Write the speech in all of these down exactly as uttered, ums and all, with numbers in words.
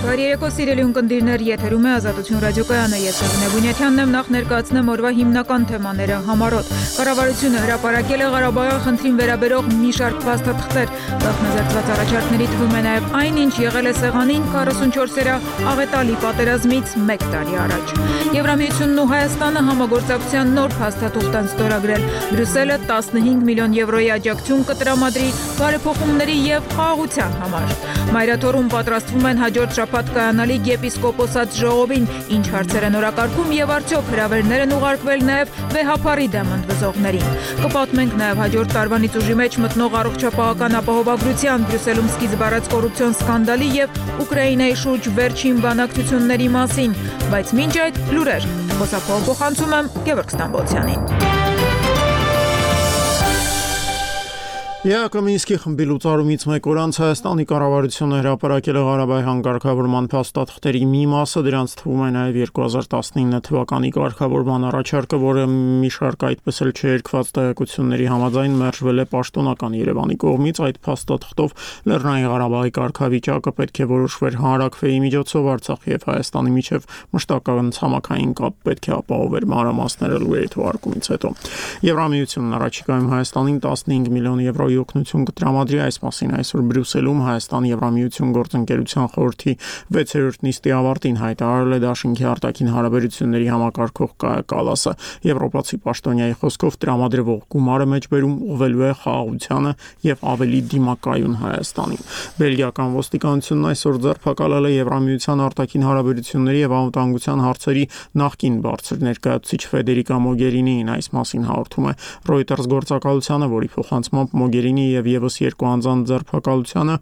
Բարի երեկո սիրելի ունկնդիրներ, եթերում է Ազատություն ռադիոկայանը, ես Եղնե Բունյաթյանն եմ, նախ ներկայացնեմ օրվա հիմնական թեմաները համառոտ։ Կառավարությունը հրապարակել է Ղարաբաղի խնդրին վերաբերող մի շարք փաստաթղթեր, գաղտնազերծված առաջարկների թվում է նաև այն, ինչ եղել է սեղանին քառասունչորսերա աղետալի պատերազմից մեկ տարի առաջ։ Եվրամիությունն ու Հայաստանը համագործակցության նոր փաստաթուղթ են ստորագրել։ Բրյուսելը տասնհինգ միլիոն եվրոյի աջակցություն կտրամադրի բարեփոխումների և խաղաղության համար։ Մայրաթորում պատրաստվում են հաջորդ շաբաթ կայանալիք եպիսկոպոսած ժողովին, ինչ հարցեր են օրակարգում և արդյոք հրավերներ են ուղարկվել նաև վեհափառի դեմ ընդվզողներին։ Կպատմենք նաև հաջորդ տարվանից ուժի մեջ մտնող առողջապահական ապահովագրության, Բրյուսելում սկիզբ առած կոռուպցիոն սկանդալի և Ուկրաինայի շուրջ վերջին բանակցությունների մասին, բայց մինչ այդ լուրեր, խոսափողը փոխանցում եմ Գևորգ Ստամբոլցյանին։ Յակոբ Մինսկի խմբի լուծարումից մեկ օր անց Հայաստանի կառավարությունը հրապարակել է Ղարաբաղի հանգարկավորման փաստաթղթերի մի մասը, դրանց թվում է նաև երկու հազար տասնինը թվականի կարգավորման առաջարկը, որը մի շարք այդպես էլ չերկված տեղեկությունների համաձայն մերժվել է պաշտոնական Երևանի կողմից։ Այդ փաստաթղթով Լեռնային Ղարաբաղի կարգավիճակը պետք է որոշվեր հանրաքվեի միջոցով, Արցախի և Հայաստանի միջև մշտական ցամաքային կապ պետք է ապահովեր, մանրամասները լուրերի թողարկումից հետո։ Եվրամիությունն առաջիկայում Հայաստանին տասնհինգ միլիոն եվրո օգնություն կտրամադրի, այս մասին այսօր Բրյուսելում Հայաստան-Եվրամիություն գործընկերության խորհրդի վեցերորդ նիստի ավարտին հայտարարել է Դաշինքի արտաքին հարաբերությունների համակարգող Կայա Կալասը։ Եվրոպացի պաշտոնյայի խոսքով տրամադրվող գումարը մեջբերում ուղղվելու է խաղաղությանը և ավելի դիմակայուն Հայաստանին։ Բելգիական ոստիկանությունն այսօր ձերբակալել է Եվրամիության արտաքին հարաբերությունների և անվտանգության հարցերի նախկին բարձր ներկայացուցիչ Ֆեդերիկա Մոգերինիին, այս մասին հաղորդում է Reuters գործակալությանը, որի փոխանցմամբ Մոգերինի և ևս երկու անձանց ձերբակալությանը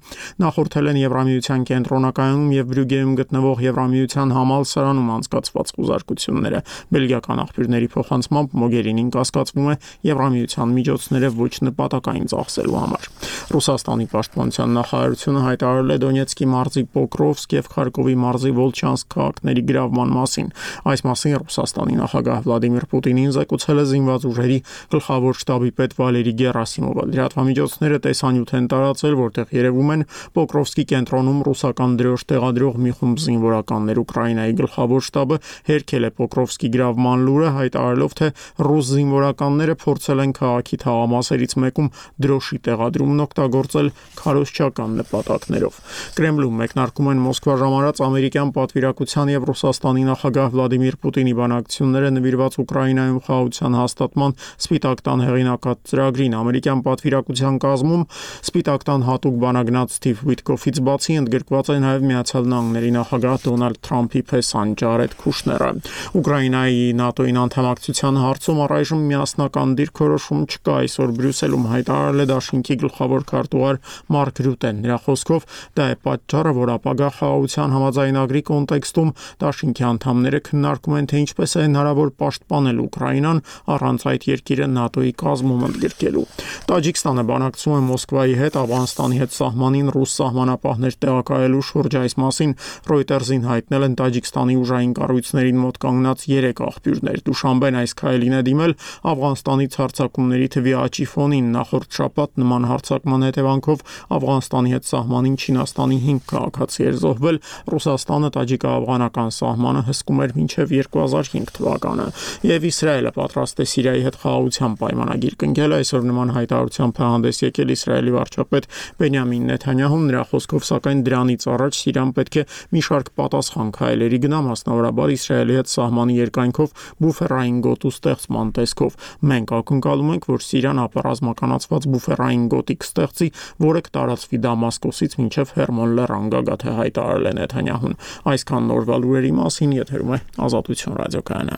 նախորդել են Եվրամիության կենտրոնակայանում և Բրյուգեում գտնվող Եվրամիության համալսարանում անցկացված խուզարկությունները։ Բելգիական աղբյուրների փոխանցմամբ Մոգերինին կասկածվում է Եվրամիության միջոցները ոչ նպատակային ծախսելու համար։ Ռուսաստանի պաշտպանության նախարարությունը հայտարարել է Դոնեցկի մարզի Պոկրովսկ և Խարկովի մարզի Վոլչանսկ քաղաքների գրավման մասին։ Այս մասին Ռուսաստանի նախագահ Վլադիմիր Պուտինին զեկուցել է զինված ուժերի գլխավոր շտաբի պետ Վալերի Գերասիմովը։ Լրատվամիջոցները տեսանյութ են տարածել, որտեղ երևում են Պոկրովսկի կենտրոնում ռուսական դրոշ տեղադրող մի խումբ զինվորականներ։ Ուկրաինայի գլխավոր շտաբը հերքել է Պոկրովսկի գրավման լուրը, հայտարարելով, թե ռուս զինվորականները փորձել են քաղաքի թաղամասերից մեկում դրոշի տեղադրումն օգտագործել քարոզչական նպատակներով։ Կրեմլում մեկնարկում են Մոսկվա ժամանած ամերիկյան պատվիրակության և Ռուսաստանի նախագահ Վլադիմիր Պուտինի բանակցությունները նվիրված Ուկրաինայում խաղաղության հաստատման Սպիտակ տան հեղինակած ծրագրին։ Ամերիկյան պատվիրակության կազմում Սպիտակ տան հատուկ բանագնաց Սթիվ Ուիտկոֆից բացի ընդգրկված է նաև Միացյալ Նահանգների նախագահ Դոնալդ Թրամփի փեսան Ջարեդ Քուշները։ Ուկրաինայի ՆԱՏՕ-ին անդամակցության հարցում առայժմ միասնական դիրքորոշում չկա, այսօր Բրյուսելում հայտարարել է Դաշինքի գլխավոր քարտուղար Մարկ Ռյուտեն։ Նրա խոսքով դա է պատճառը, որ ապագա խաղաղության համաձայնագրի կոնտեքստում Դաշինքի անդամները քննարկում են, թե ինչպես է հնարավոր պաշտպանել Ուկրաինան առանց այդ երկիրը ՆԱՏՕ-ի կազմում ընդգրկելու։ Տաջիկստանը բանակցում է Մոսկվայի հետ Աֆղանստանի հետ սահմանին ռուս սահմանապահներ տեղակայելու շուրջ, այս մասին Reuters-ին հայտնել են Տաջիկստանի ուժային կառույցներին մոտ կանգնած երեք աղբյուրներ։ Դուշանբեն այս քայլին է դիմել Աֆղանստանից հարձակումների թվի աճի ֆոնին։ Նախորդ շաբաթ նման հարձակման հետևանքով Աֆղանստանի հետ սահմանին Չինաստանի հինգ քաղաքացի էր զոհվել։ Ռուսաստանը տաջիկա-աֆղանական սահմանը հսկում էր մինչև երկու հազար հինգ թվականը։ Եվ Իսրայելը պատրաստ է Սիրիայի հետ խաղաղության պայմանագիր կնքել, այսօր նման հայտարարությամբ է հանդես եկել Իսրայելի վարչապետ Բենյամին Նեթանյահուն։ Նրա խոսքով, սակայն դրանից առաջ Սիրիան պետք է մի շարք պատասխան քայլերի գնա, մասնավորաբար Իսրայելի հետ սահմանի երկայնքով բուֆերային գոտու ստեղծման տեսքով։ Մենք ակնկալում ենք, որ Սիրիան ապառազմականացված բուֆերային գոտի կստեղծի, որը կտարածվի Դամասկոսից մինչև Հերմոն լեռան գագաթը, հայտարարել է Նեթանյահուն։ Այսքան նորվա լուրերի մասին, եթերում է Ազատություն ռադիոկայանը։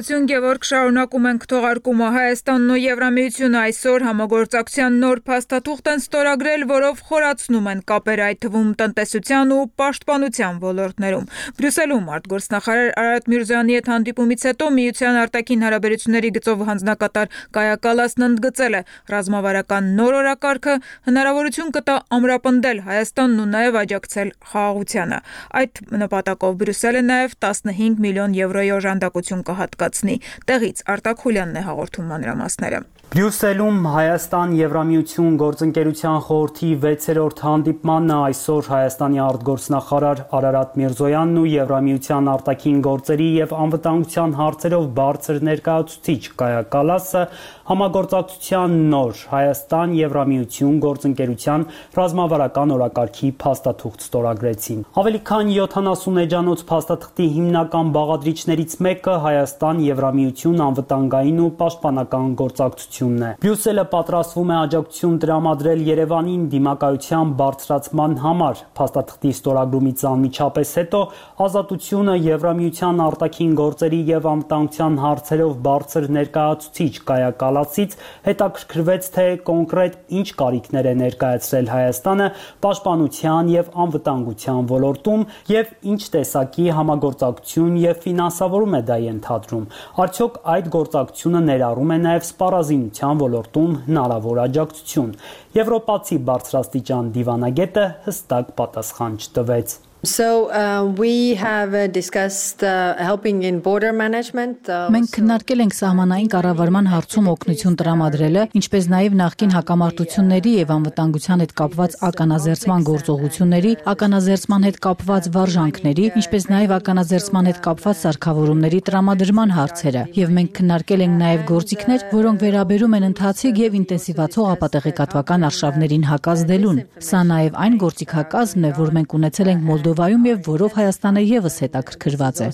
Շնորհակալություն, Գևորգ, շարունակում ենք թողարկումը։ Հայաստանն ու Եվրամիությունը այսօր համագործակցության նոր փաստաթուղթ են ստորագրել, որով խորացնում են կապերը, այդ թվում տնտեսության ու պաշտպանության ոլորտներում։ Բրյուսելում արտգործնախարար Արարատ Միրզոյանի հետ հանդիպումից հետո Միության արտաքին հարաբերությունների գծով հանձնակատար Կայա Կալասն ընդգծել է, ռազմավարական նոր օրակարգը հնարավորություն կտա ամրապնդել Հայաստանն ու նաև աջակցել խաղաղությանը։ Այդ նպատակով Բրյուսելը նաև տասնհինգ միլիոն եվրոյի օժանդակություն կհատկացնի։ Տեղից Արտակ Խուլյանն է հաղորդում մանրամասները։ Բրյուսելում Հայաստան-Եվրամիություն գործընկերության խորհրդի վեցերորդ հանդիպմանն այսօր Հայաստանի արտգործնախարար Արարատ Միրզոյանն ու Եվրամիության արտաքին գործերի և անվտանգության հարցերով բարձր ներկայացուցիչ Կայա Կալասը համագործակցության նոր Հայաստան-Եվրամիություն գործընկերության ռազմավարական օրակարգի փաստաթուղթ ստորագրեցին։ Ավելի քան յոթանասուն էջանոց փաստաթղթի հիմնական բաղադրիչներից մեկը Հայաստան-Եվրամիություն անվտանգային ու պաշտպանական գործակցություն է։ Բրյուսելը պատրաստվում է աջակցություն տրամադրել Երևանին դիմակայության բարձրացման համար։ Փաստաթղթի ստորագրումից անմիջապես հետո Ազատությունը Եվրամիության արտաքին գործերի և անվտանգության հարցերով բարձր ներկայացուցիչ Կայա Կալասից հետաքրքրվեց, թե կոնկրետ ինչ կարիքներ է ներկայացրել Հայաստանը պաշտպանության և անվտանգության ոլորտում և ինչ տեսակի համագործակցություն և ֆինանսավորում է դա ենթադրում։ Արդյոք այդ գործակցությունը ներառում է նաև սպառազինության ոլորտում հնարավոր աջակցություն։ Եվրոպացի բարձրաստիճան դիվանագետը հստակ պատասխան չտվեց։ So uh, we have uh, discussed uh, helping in border management. Մենք քննարկել ենք սահմանային կառավարման հարցում օգնություն տրամադրելը, ինչպես նաև նախկին հակամարտությունների և անվտանգության հետ կապված ականազերծման գործողությունների, ականազերծման հետ կապված վարժանքների, ինչպես նաև ականազերծման հետ կապված սարքավորումների տրամադրման հարցերը, և մենք քննարկել ենք նաև գործիքներ, որոնք վերաբերում են ընթացիկ և ինտենսիվացող ապատեղեկատվական արշավներին հակազդելուն։ Սա նաև այն գործիքակազմն է, որ մենք ունեցել ենք Մոլդովայում Վայում և որով Հայաստանը ևս հետաքրքրված է։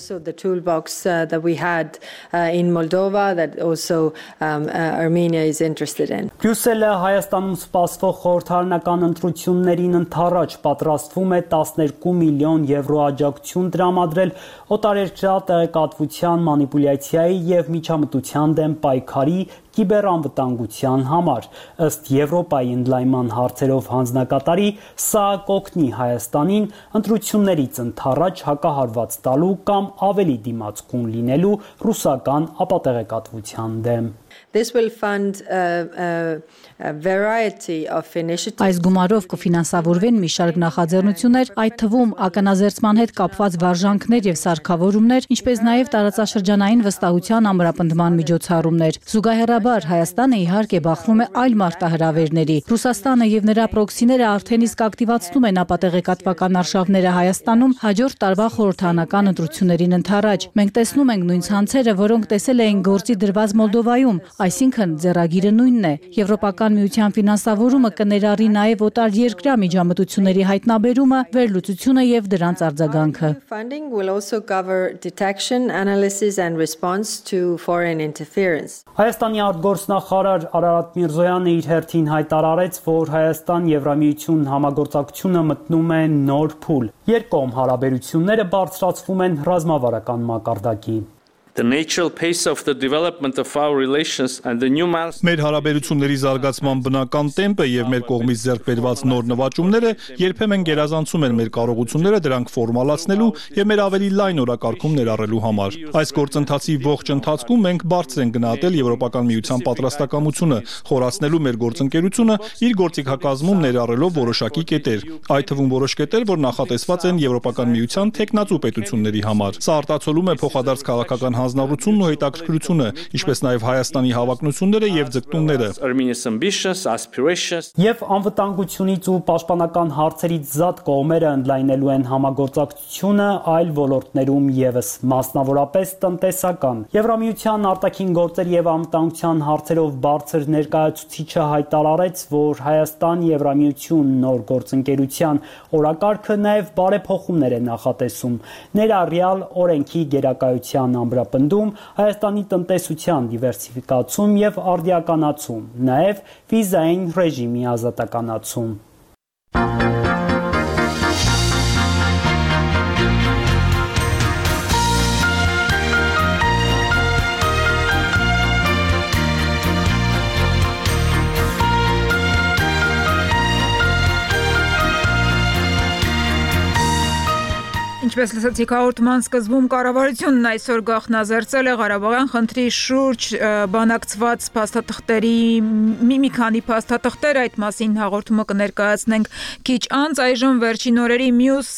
Բրյուսելը Հայաստանում սպասվող խորհրդարանական ընտրություններին ընդառաջ պատրաստվում է տասներկու միլիոն եվրո աջակցություն տրամադրել օտարերկրյա տեղեկատվության մանիպուլյացիայի և միջամտության դեմ պայքարի կիբերանվտանգության համար։ Ըստ Եվրոպայի ընդլայնման հարցերով հանձնակատարի, սա կօգնի Հայաստանին ընտրություններից ընդառաջ հակահարված տալու կամ ավելի դիմացկուն լինելու ռուսական ապատեղեկատվության դեմ։ This will fund a, a, a variety of initiatives. Այս գումարով կֆինանսավորվեն մի շարք նախաձեռնություններ, այդ թվում ականազերծման հետ կապված վարժանքներ և սարքավորումներ, ինչպես նաև տարածաշրջանային վստահության ամրապնդման միջոցառումներ։ Զուգահեռաբար Հայաստանը իհարկե բախվում է այլ մարտահրավերների։ Ռուսաստանը և նրա պրոքսիները արդեն իսկ ակտիվացնում են ապատեղեկատվական արշավները Հայաստանում հաջորդ տարվա խորհրդարանական ընտրություններին ընդառաջ։ Մենք տեսնում ենք նույն ցանցերը, որոնք տեսել էին գործի դրված Մոլդովայում, այսինքն ձեռագիրը նույնն է։ Եվրոպական միության ֆինանսավորումը կներառի նաև օտարերկրյա միջամտությունների հայտնաբերումը, վերլուծությունը և դրանց արձագանքը։ Funding will also cover detection, analysis and response to foreign interference. Հայաստանի արտգործնախարար Արարատ Միրզոյանը իր հերթին հայտարարեց, որ Հայաստան-Եվրամիություն համագործակցությունը մտնում է նոր փուլ։ Երկկողմ հարաբերությունները բարձրացվում են ռազմավարական մակարդակի։ The natural pace of the development of our relations and the new milestones. Մեր հարաբերությունների զարգացման բնական տեմպը եւ մեր կողմից ձեռք բերված նոր նվաճումները երբեմն գերազանցում են մեր կարողությունները դրանք ֆորմալացնելու եւ մեր ավելի լայն օրակարգում ներառելու համար։ Այս գործընթացի ողջ ընթացքում մենք բարձր ենք գնահատել Եվրոպական միության պատրաստակամությունը խորացնելու մեր գործընկերությունը իր գործիքակազմում ներառելով որոշակի կետեր, այդ թվում որոշ կետեր, որ նախատեսված են Եվրոպական միության տեխնացու պետությունների համար։ Սա արտացոլում է փոխադարձ քաղաքական հանձնառությունն ու հետաքրքրությունը, ինչպես նաև Հայաստանի հավակնությունները եւ ձգտումները։ Եվ անվտանգությունից ու պաշտպանական հարցերից զատ կողմերը ընդլայնելու են համագործակցությունը այլ ոլորտներում ևս, մասնավորապես տնտեսական։ Եվրամիության արտաքին գործերի եւ անվտանգության հարցերով բարձր ներկայացուցիչը հայտարարեց, որ Հայաստան-Եվրամիություն նոր գործընկերության օրակարգը նաև բարեփոխումներ է նախատեսում, ներառյալ օրենքի գերակայության ամրապնդում, Հայաստանի տնտեսության դիվերսիֆիկացում եւ արդիականացում, նաեւ վիզային ռեժիմի ազատականացում։ Ինչպես լսեցիք հաղորդման սկզբում, կառավարությունն այսօր գաղտնազերծել է Ղարաբաղյան խնդրի շուրջ բանակցված փաստաթղթերի մի մի քանի փաստաթղթեր, այդ մասին հաղորդումը կներկայացնենք քիչ անց։ Այժմ վերջին օրերի մյուս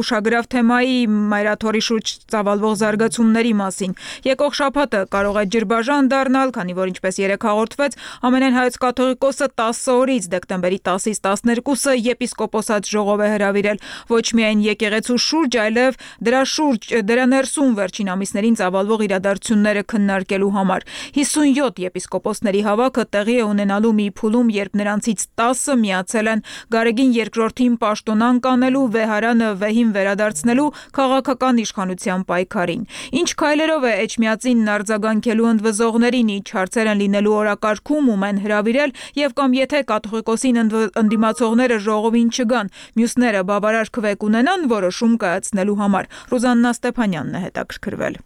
ուշագրավ թեմայի մայրաթորի շուրջ ծավալվող զարգացումների մասին։ Եկող շաբաթը կարող է ջրբաժան դառնալ, քանի որ ինչպես երեկ հաղորդվեց, ամենայն հայոց կաթողիկոսը տասը օրից դեկտեմբերի տասից տասներկուսը եպիսկոպոսած ժողով է հրավիրել ոչ միայն եկեղեցու շուրջ, այլև դրա շուրջ, դրա ներսում վերջին ամիսներին ծավալվող իրադարձությունները քննարկելու համար։ հիսունյոթ եպիսկոպոսների հավաքը տեղի է ունենալու մի փուլում, երբ նրանցից տասը միացել են Գարեգին երկրորդին պաշտոնան կանելու, Վեհարանը վեհին վերադարձնելու քաղաքական իշխանության պայքարին։ Ինչ քայլերով է Էջմիածին արձագանքելու ընդվզողներին, ինչ հարցեր են լինելու օրակարգում, ում են հրավիրել, եւ կամ եթե կաթողիկոսին ընդդիմացողները ժողովին չգան, մյուսները բավարար քվեկ ունենան որոշում կայացնելու համար։ Ռուզաննա Ստեփանյանն է հետաքրքրվել։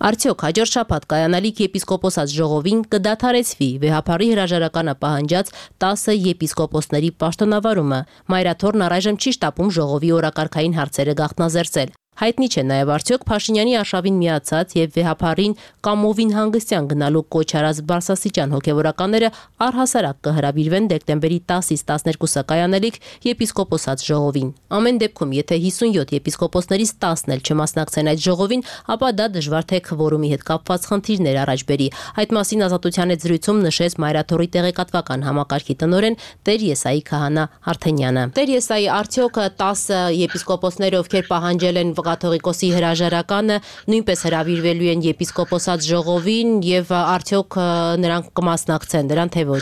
Արդյոք հաջորդ շաբաթ կայանալիք եպիսկոպոսած ժողովին կդադարեցվի վեհափառի հրաժարականը պահանջած տասը եպիսկոպոսների պաշտոնավարումը։ Մայրաթորն առայժմ չի շտապում ժողովի օրակարգային հարցերը գաղտնազերծել։ Հայտնի չէ նաև արդյոք Փաշինյանի արշավին միացած եւ վեհափառին կամովին հանգստյան գնալու կոչ արած բարձրաստիճան հոգեվորականները առհասարակ կհրավիրվեն դեկտեմբերի տասից տասներկուսը կայանալիք եպիսկոպոսած ժողովին։ Ամեն դեպքում, եթե հիսունյոթ եպիսկոպոսներից տասն էլ չմասնակցեն այդ ժողովին, ապա դա դժվար թե քվորումի հետ կապված խնդիրներ առաջ բերի։ Այդ մասին Ազատության հետ զրույցում նշեց Մայրաթորի տեղեկատվական համակարգի տնօրեն Տեր Եսայի Քահանա Արթենյանը։ Տեր Եսայի, արդյոք տասը եպիսկոպոսները, ովքեր պահանջել են կաթողիկոսի հրաժարականը, նույնպես հրավիրվելու են եպիսկոպոսած ժողովին եւ արդյոք նրանք կմասնակցեն դրան թե ոչ։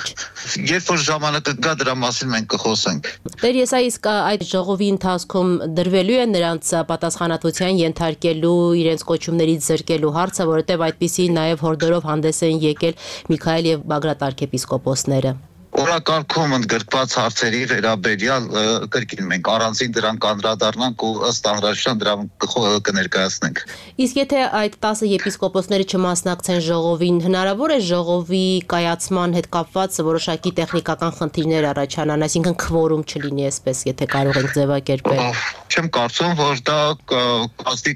Երբ որ ժամանակը կա, դրա մասին մենք կխոսենք։ Տեր Եսայի, իսկ այդ ժողովի ընթացքում դրվելու է նրանց պատասխանատվության ենթարկելու, իրենց կոչումներից զրկելու հարցը, որովհետեւ այդպիսի նաեւ հորդորով հանդես են եկել Միքայել եւ Բագրատ arczepiskoposները։ Օրակարգում ընդգրկված հարցերի վերաբերյալ կրկին մենք առանցին դրան կանդրադառնանք ու ըստ անհրաժեշտության դրան կներկայացնենք։ Իսկ եթե այդ տասը եպիսկոպոսները չմասնակցեն ժողովին, հնարավոր է ժողովի կայացման հետ կապված որոշակի տեխնիկական խնդիրներ առաջանան, այսինքն քվորում չլինի, այսպես եթե կարող ենք ձևակերպել։ Չեմ կարծում, որ դա կազմի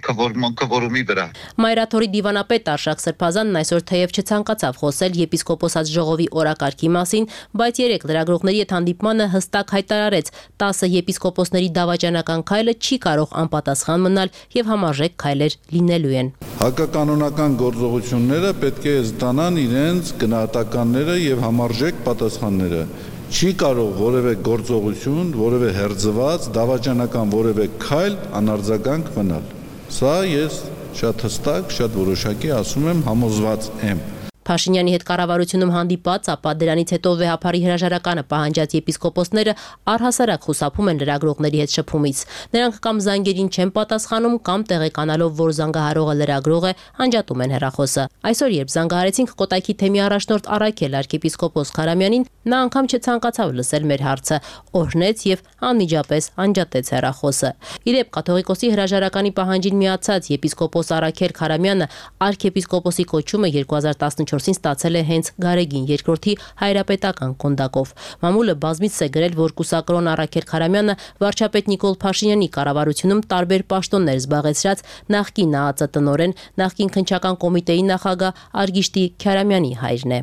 քվորումի վրա։ Մայրաթորի դիվանապետ Արշակ Սրբազանն այսօր թեև չցանկացավ խոսել եպիսկոպոսած ժողովի օրակարգի մասին, բայց երեք լրագրողների հետ հանդիպմանը հստակ հայտարարեց, տասը եպիսկոպոսների դավաճանական քայլը չի կարող անպատասխան մնալ եւ համարժեք քայլեր լինելու են։ Հակականոնական գործողությունները պետք է ստանան իրենց գնահատականները եւ համարժեք պատասխանները։ Չի կարող որևէ գործողություն, որևէ հերձված, դավաճանական որևէ քայլ անարձագանք մնալ։ Սա ես շատ հստակ, շատ որոշակի ասում եմ, համոզված եմ։ Փաշինյանի հետ կառավարությունում հանդիպած, ապա դրանից հետո վեհափառի հրաժարականը պահանջած եպիսկոպոսները առհասարակ խուսափում են լրագրողների հետ շփումից։ Նրանք կամ զանգերին չեն պատասխանում, կամ տեղեկանալով, որ զանգահարողը լրագրող է, անջատում են հեռախոսը։ Այսօր, երբ զանգահարեցինք Կոտայքի թեմի առաջնորդ Արաքել arczepiskopos Քարամյանին, նա անգամ չցանկացավ լսել մեր հարցը, օրհնեց եւ անմիջապես անջատեց հեռախոսը։ Իրեպ կաթողիկոսի հրաժարականի պահանջին միացած եպիսկոպոս Արաքել Քարամյանը arczepiskoposi կոչումը երկու հազար տասնչորսին ստացել է հենց Գարեգին երկրորդի հայրապետական կոնդակով։ Մամուլը բազմիցս է գրել, որ կուսակրոն Արաքել Քարամյանը վարչապետ Նիկոլ Փաշինյանի կառավարությունում տարբեր պաշտոններ զբաղեցրած նախկին ԱԱԾ տնօրեն, նախկին քննչական կոմիտեի նախագահ Արգիշտի Քյարամյանի հայրն է։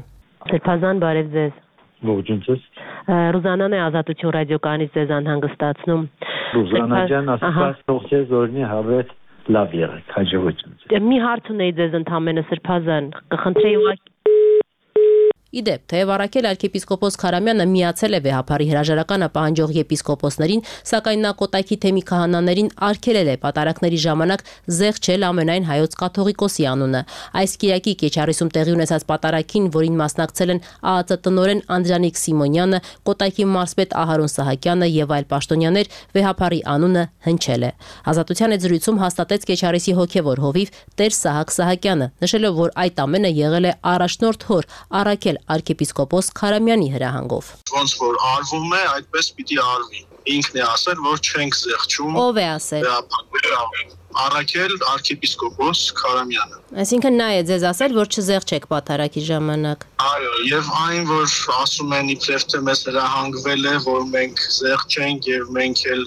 Սրբազան, բարև ձեզ։ Ողջույն ձեզ։ Ռուզանան է Ազատություն ռադիոկայանից ձեզ անհանգստացնում։ Ռուզանա ջան, ասած թող ձեզ օրհնի հավետ լավ եղեք, հաջողություն։ Մի հարց ունեի ձեզ ընդամենը Սրբազան, կխնդրեի ուղղակի Իդեպ, թեև Արաքել arczepiskopos Քարամյանը միացել է վեհափառի հրաժարականը պահանջող եպիսկոպոսներին, սակայն նա Կոտայքի թեմի քահանաներին արգելել է պատարակների ժամանակ զեղչել ամենայն հայոց կաթողիկոսի անունը։ Այս կիրակի Կեչարիսում տեղի ունեցած պատարակին, որին մասնակցել են ԱԱԾ տնօրեն Անդրանիկ Սիմոնյանը, Կոտայքի մարզպետ Ահարոն Սահակյանը եւ այլ պաշտոնյաներ, վեհափառի անունը հնչել է։ Ազատության հետ զրույցում հաստատեց Կեչարիսի հոգևոր հովիվ Տեր Սահակ Սահակյանը, նշելով, որ այդ ամենը եղել է առաջնորդ հոր Արաքել arczepiskopos Քարամյանի հրահանգով։ Ոնց որ արվում է, այդպես պիտի արվի։ Ինքն է ասել, որ չենք զեղչում։ Ով է ասել։ Արաքել arczepiskopos Քարամյանը։ Այսինքն նա է ձեզ ասել, որ չզեղչեք պատարակի ժամանակ։ Այո, եւ այն, որ ասում են իբրև թե մեզ հրահանգվել է, որ մենք զեղչ ենք եւ մենք էլ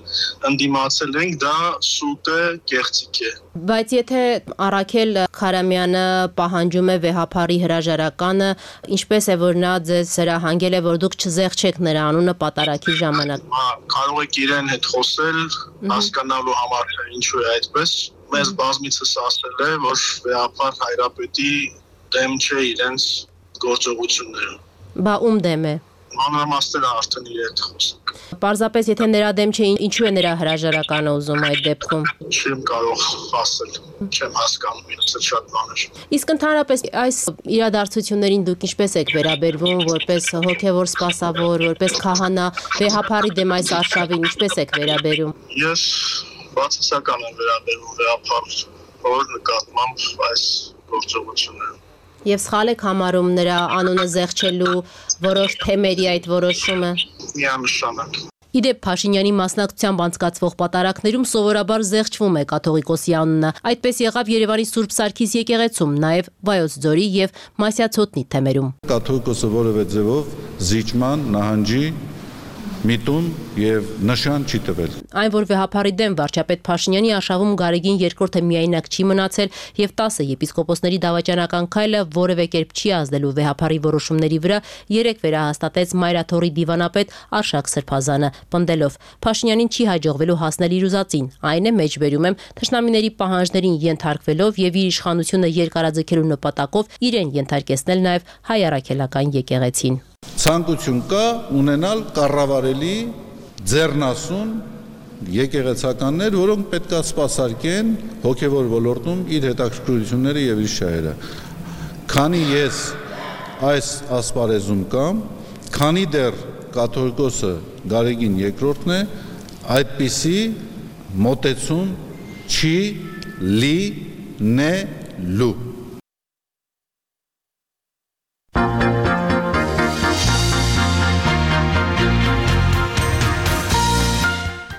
ընդդիմացել ենք, դա սուտ է, կեղծիք է։ Բայց եթե Արաքել Խարամյանը պահանջում է վեհափարի հրաժարականը, ինչպես է որ նա ձեզ հրահանգել է, որ դուք չզեղչեք նրա անունը պատարագի ժամանակ։ Կարող եք իրեն հետ խոսել, հասկանալու համար թե ինչու է այդպես։ Մեզ բազմիցս ասել է, որ վեհափար Հայրապետի դեմ չէ իրենց գործողությունները։ Բա ում դեմ է։ Մանրամասները արդեն իր հետ խոսք։ Պարզապես եթե նրա դեմ չէ, ինչու է նրա հրաժարականը ուզում այդ դեպքում։ Չեմ կարող ասել, չեմ հասկանում, ինձ շատ բաներ։ Իսկ ընդհանրապես այս իրադարձություններին դուք ինչպես եք վերաբերվում, որպես հոգևոր սպասավոր, որպես քահանա, վեհափարի դեմ այս արշավին ինչպես եք վերաբերում։ Ես բացասական եմ վերաբերվում վեհափար, որ նկատմամբ այս գործողությունները։ Եվ սխալ եք համարում նրա անունը զեղչելու որոշ թեմերի այդ որոշումը։ Միանշանակ։ Իդեպ Փաշինյանի մասնակցությամբ անցկացվող պատարակներում սովորաբար զեղչվում է կաթողիկոսի անունը։ Այդպես եղավ Երևանի Սուրբ Սարգիս եկեղեցում, նաև Վայոց ձորի եւ Մասյացոտնի թեմերում։ Կաթողիկոսը որևէ ձևով զիջման, նահանջի միտում եւ նշան չի տվել։ Այն, որ վեհափարի դեմ վարչապետ Փաշինյանի արշավում Գարեգին երկրորդը միայնակ չի մնացել եւ տասը եպիսկոպոսների դավաճանական քայլը որևէ կերպ չի ազդելու վեհափարի որոշումների վրա, երեք վերահաստատեց Մայրաթորի դիվանապետ Արշակ Սրբազանը, պնդելով. Փաշինյանին չի հաջողվելու հասնել իր ուզածին, այն է մեջբերում եմ թշնամիների պահանջներին ենթարկվելով եւ իր իշխանությունը երկարաձգելու նպատակով իրեն ենթարկեցնել նաեւ հայ առաքելական եկեղեցին։ Ցանկություն կա ունենալ կառավարելի ձեռնասուն եկեղեցականներ, որոնք պետք է սպասարկեն հոգևոր ոլորտում իր հետաքրքրությունները եւ իր շահերը։ Քանի ես այս ասպարեզում կամ, քանի դեռ կաթողիկոսը Գարեգին երկրորդն է, այդպիսի մոտեցում չի լինելու։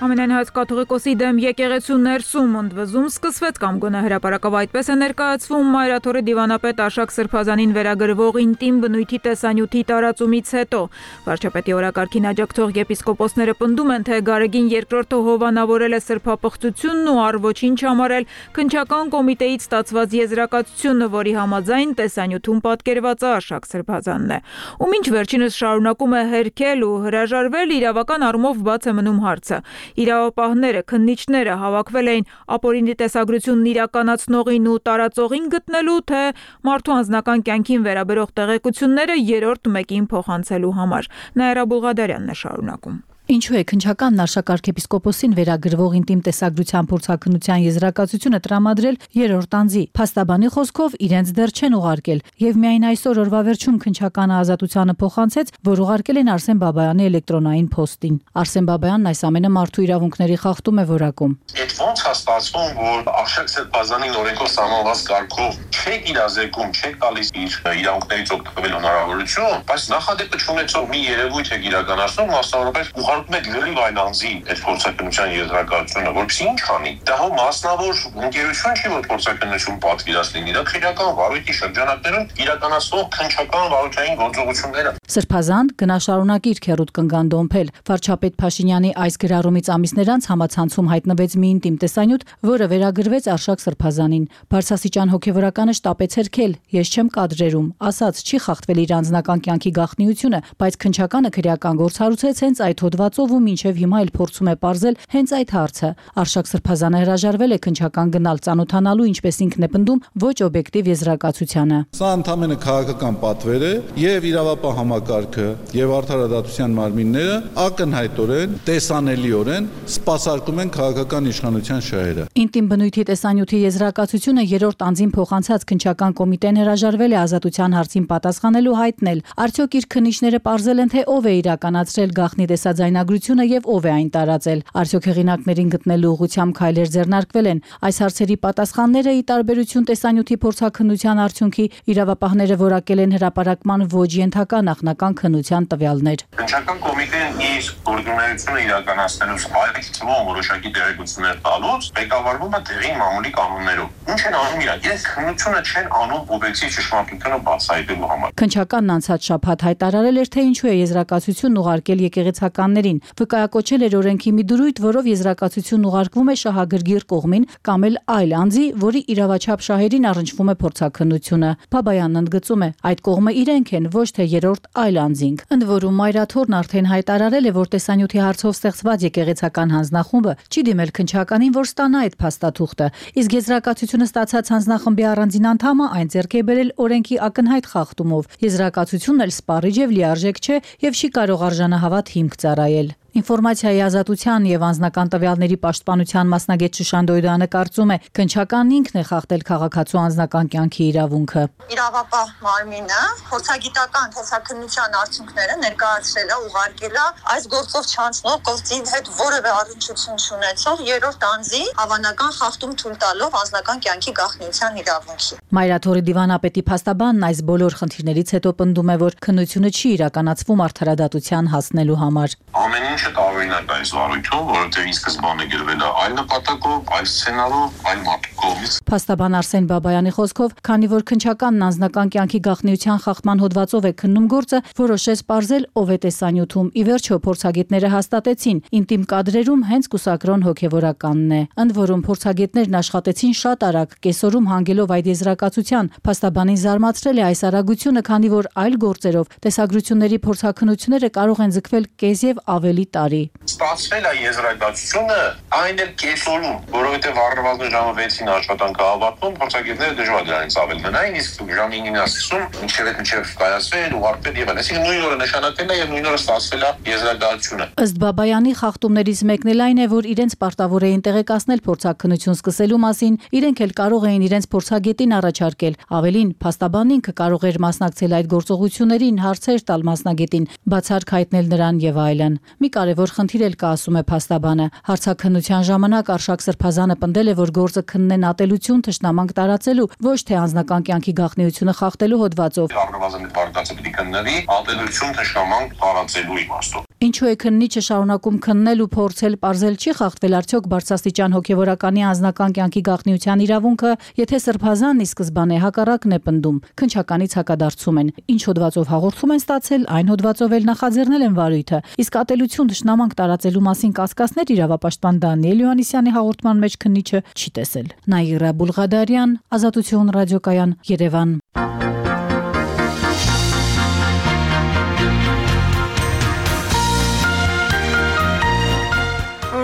Ամենայն կաթողիկոսի դեմ եկեղեցու ներսում ընդվզում սկսվեց կամ գոնե հրապարակավ այդպես է ներկայացվում Մայրաթորի դիվանապետ Արշակ Սրբազանին վերագրվող ինտիմ բնույթի տեսանյութի տարածումից հետո։ Վարչապետի օրակարգին աջակցող եպիսկոպոսները պնդում են, թե Գարեգին երկրորդը հովանավորել է սրբապղծությունն ու առ ոչինչ համարել քննչական կոմիտեից ստացված եզրակացությունը, որի համաձայն տեսանյութում պատկերված է Արշակ Սրբազանն է։ Ու մինչ վերջինս շարունակում է հերքել ու հրաժարվել, իրավական առումով բաց է մնում հարցը։ Իրավապահները, քննիչները հավաքվել էին ապօրինի տեսագրությունն իրականացնողին ու տարածողին գտնելու, թե մարդու անձնական կյանքին վերաբերող տեղեկությունները երրորդ մեկին փոխանցելու համար։ Նաիրա Բուլղադարյանն է շարունակում։ Ինչու է քննչականն Արշակ arczepiskopos-ին վերագրվող ինտիմ տեսագրության փորձաքննության եզրակացությունը տրամադրել երրորդ անձի։ Փաստաբանի խոսքով իրենց դեռ չեն ուղարկել, եւ միայն այսօր օրվա վերջում քննչականը ազատությանը փոխանցեց, որ ուղարկել են Արսեն Բաբայանի էլեկտրոնային փոստին։ Արսեն Բաբայանն այս ամենը մարդու իրավունքների խախտում է որակում։ Այդ ոնց է ստացվում, որ Արշակ Սրբազանին օրենքով սահմանված կարգով չեք իրազեկում, չեք տալիս իր իրավունքներից օգտվել հնարավորություն, բայց նախադեպը չունեցող մի երևույթ եք իրականացնում, մասնավորապես եք լրիվ այն անձի այդ փորձակնության եզրակացությունը, որպեսզի ինչ անի։ Դա հո մասնավոր ընկերություն չի, որ փորձակնություն պատվիրած լինի, դա քրեական վարույթի շրջանակներում իրականացվող քննչական վարչային գործողությունները։ Սրբազան գնաշարունակի իր քերուտ կնգան դոմփել։ Վարչապետ Փաշինյանի այս գրառումից ամիսներ անց համացանցում հայտնվեց մի ինտիմ տեսանյութ, որը վերագրվեց Արշակ Սրբազանին։ Բարձրաստիճան հոգևորականը շտապեց հերքել, ես չեմ կադրերում, ասաց չի խախտվել իր անձնական կյանքի գաղտնիությունը, բայց քննչականը քրեական գործ հարուցեց հենց այդ հոդվածով ու մինչև հիմա էլ փորձում է ողջել հենց այդ հարցը։ Արշակ Սրբազանը հրաժարվել է քննչական գնալ ծանոթանալու, ինչպես ինքն է պնդում, ոչ օբյեկտիվ եզրակացությանը։ Սա ընդհանրապես քաղաքական պատվեր է եւ իրավապահ համակարգը եւ արդարադատության մարմինները ակնհայտորեն, տեսանելիորեն սպասարկում են քաղաքական իշխանության շահերը։ Ինտիմ բնույթի տեսանյութի եզրակացությունը երրորդ անձին փոխանցած քննչական կոմիտեն հրաժարվել է ազատության հարցին պատասխանելու հայտնել։ Արդյոք իր քննիչները պարզել են, թե ով է իրականացրել գաղտնի տեսաձայն ձայնագրությունը եւ ով է այն տարածել։ Արդյոք հեղինակներին գտնելու ուղղությամբ քայլեր ձեռնարկվել են։ Այս հարցերի պատասխանները ի տարբերություն տեսանյութի փորձաքննության արդյունքի իրավապահները որակել են հրապարակման ոչ ենթակա նախնական քննության տվյալներ։ Քննչական կոմիտեն իր գործունեությունը իրականացնելուց այդ թվում որոշակի տեղեկություններ տալուց ղեկավարվում է տեղի մամուլի կանոններով։ Ինչ են անում իրանք։ Իրենց քննությունը չեն անում օբյեկտիվ ճշմարտությունը բացահայտելու համար։ Քննչականն անցած շաբաթ հայտարարել էր, թե ինչու է եզրակացությունն ուղարկել եկեղեցականներին։ Վկայակոչել էր օրենքի մի դրույթ, որով եզրակացությունն ուղարկվում է շահագրգիռ կողմին կամ էլ այլ անձի, որի իրավաչափ շահերին առնչվում է փորձաքննությունը։ Բաբայանն ընդգծում է, այդ կողմը իրենք են, ոչ թե երրորդ այլ անձինք։ Ընդ որում Մայրաթորն արդեն հայտարարել է, որ տեսանյութի հարցով ստեղծված եկեղեցական հանձնախումբը չի դիմել քննչականին, որ ստանա այդ փաստաթուղթը, իսկ եզրակացությունը ստացած հանձնախմբի առանձին անդամը այն ձեռք է բերել օրենքի ակնհայտ խախտումով։ Եզրակացությունն էլ սպառիչ եւ լիարժեք չէ եւ չի կարող արժանահավատ հիմք ծառայել։ Ինֆորմացիայի ազատության եւ անձնական տվյալների պաշտպանության մասնագետ Շուշան Դոյդանը կարծում է, քննչականն ինքն է խախտել քաղաքացու անձնական կյանքի իրավունքը։ Իրավապահ մարմինը փորձագիտական փորձաքննության արդյունքները ներկայացրել է, ուղարկել է այս գործով չանցնող գործի հետ որևէ առնչություն չունեցող երրորդ անձի հավանական խախտում թույլ տալով անձնական կյանքի գաղտնիության իրավունքի։ Մայրաթորի դիվանապետի փաստաբանն այս բոլոր խնդիրներից հետո պնդում է, որ քննությունը չի իրականացվում արդարադատության հասնելու համար։ Ամեն ինչը տարօրինակ է այս վարույթում, որովհետև ի սկզբանե գրվել է այլ նպատակով, այլ սցենարով, այլ մարդու կողմից։ Փաստաբան Արսեն Բաբայանի խոսքով, քանի որ քննչականն անձնական կյանքի գաղտնիության խախտման հոդվածով է քննում գործը, որոշեց պարզել ով է տեսանյութում։ Ի վերջո փորձագետները հաստատեցին, ինտիմ կադրերում հենց կուսակրոն հոգևորականն է։ Ընդ որում փորձագետներն աշխատեցին շատ արագ, կեսօրում հանգելով այդ եզրակացության։ Փաստաբանին զարմացրել է այս արագությունը, քանի որ այլ գործերով տեսագրությունների փորձաքննությունները կարող են ձգվել կես եւ ավելի տարի։ Ստացվել է եզրակացությունը այն էլ կեսօրում, որովհետև առնվազն ժամը վեցին աշխատանքը ավարտվում, փորձագետները դժվար դրանից ավել մնային, իսկ ժամը ինը ասում, մինչև այդ մինչև կայացվել, ուղարկվել եւ այլն։ Այսինքն նույն օրը նշանակվել է եւ նույն օրը ստացվել է եզրակացությունը։ Ըստ Բաբայանի խախտումներից մեկն էլ այն է, որ իրենց պարտավոր էին տեղեկացնել փորձաքննություն սկսելու մասին, իրենք էլ կարող էին իրենց փորձագետին առաջարկել։ Ավելին, փաստաբանն ինքը կարող էր մասնակցել այդ գործողություններին, հարցեր տալ մասնագետին, բացառք հայտնել նրան եւ այլն։ Մի կարևոր խնդիր էլ կա, ասում է փաստաբանը։ Հարցաքննության ժամանակ Արշակ Սրբազանը պնդել է, որ գործը քննեն ատելություն թշնամանք տարածելու, ոչ թե անձնական կյանքի գաղտնիությունը խախտելու հոդվածով։ Առնվազն վարկածը պիտի քննվի ատելություն թշնամանք տարածելու իմաստով։ Ինչու է քննիչը շարունակում քննել ու փորձել պարզել չի խախտվել արդյոք բարձրաստիճան հոգևորականի անձնական կյանքի գաղտնիության իրավունքը, եթե Սրբազանն ի սկզբանե հակառակն է պնդում, քննչականից հակադարձում են։ Ինչ հոդվածով հաղորդում են ստացել, այն հոդվածով էլ նախաձեռնել են վարույթը։ Իսկ ատելություն թշնամանք տարածելու մասին կասկածներ իրավապաշտպան Դանիել Յոհաննիսյանի հաղորդման մեջ քննիչը չի տեսել։ Նաիրա Բուլղադարյան, Ազատություն ռադիոկայան, Երևան։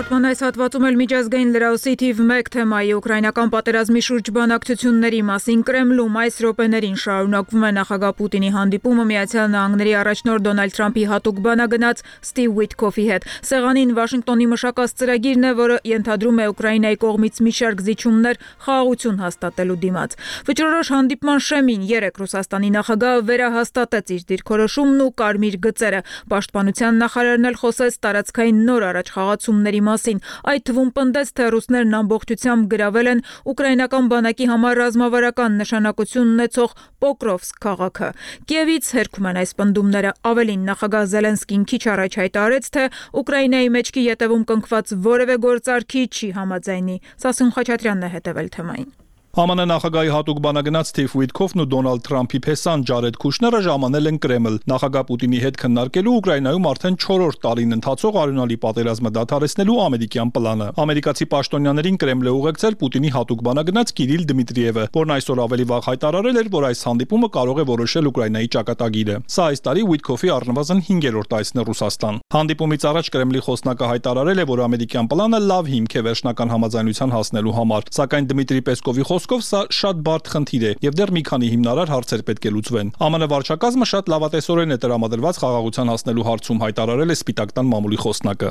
Հաղորդման այս հատվածում էլ միջազգային լրահոսի թիվ մեկ թեմայի ուկրաինական պատերազմի շուրջ բանակցությունների մասին Կրեմլում այս րոպեներին շարունակվում է նախագահ Պուտինի հանդիպումը Միացյալ Նահանգների առաջնորդ Դոնալդ Թրամփի հատուկ բանագնաց Ստիվ Ուիթքոֆի հետ։ Սեղանին Վաշինգտոնի մշակած ծրագիրն է, որը ենթադրում է Ուկրաինայի կողմից մի շարք զիջումներ խաղաղություն հաստատելու դիմաց։ Վճռորոշ հանդիպման շեմին երեկ Ռուսաստանի նախագահը վերահաստատեց իր դիրքորոշումն ու կարմիր գծերը։ Պաշտպանության նախարարն էլ խոսեց տարածքային նոր առաջխաղացումների մասին, այդ թվում պնդեց, թե ռուսներն ամբողջությամբ գրավել են ուկրաինական բանակի համար ռազմավարական նշանակություն ունեցող Պոկրովսկ քաղաքը։ Կիևից հերքում են այս պնդումները։ Ավելին, նախագահ Զելենսկին քիչ առաջ հայտարարեց, թե Ուկրաինայի մեջքի ետևում կնքված որևէ գործարքի չի համաձայնի։ Սասուն Խաչատրյանն է հետևել թեմային։ Է Մ Ն նախագահի հատուկ բանագնաց Ստիվ Ուիթքոֆն ու Դոնալդ Թրամփի փեսան Ջարեդ Քուշները ժամանել են Կրեմլ։ Նախագահ Պուտինի հետ քննարկելու Ուկրաինայում արդեն չորրորդ տարին ընթացող արյունալի պատերազմը դադարեցնելու ամերիկյան պլանը։ Ամերիկացի պաշտոնյաներին Կրեմլ է ուղեկցել Պուտինի հատուկ բանագնաց Կիրիլ Դմիտրիևը, որն այսօր ավելի վաղ հայտարարել էր, որ այս հանդիպումը կարող է որոշել Ուկրաինայի ճակատագիրը։ Սա այս տարի Ուիթքոֆի առնվազն հինգերորդ այցն է Ռուսաստան։ Հանդիպումից առաջ Կրեմլի խոսնակը հայտարարել է, որ ամերիկյան պլանը լավ հիմք է վերջնական համաձայնության հասնելու համար, սակայն Դմիտրի Պեսկովի խոսքով սա շատ բարդ խնդիր է եւ դեռ մի քանի հիմնարար հարցեր պետք է լուծվեն։ ԱՄՆ վարչակազմը շատ լավատեսորեն է տրամադրված խաղաղության հասնելու հարցում, հայտարարել է Սպիտակ տան մամուլի խոսնակը։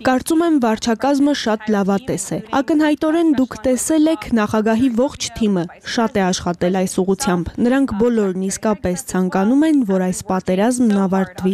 Կարծում եմ վարչակազմը շատ լավատես է։ Ակնհայտորեն դուք տեսել եք նախագահի ողջ թիմը շատ է աշխատել այս ուղղությամբ։ Նրանք բոլորն իսկապես ցանկանում են, որ այս պատերազմն ավարտվի։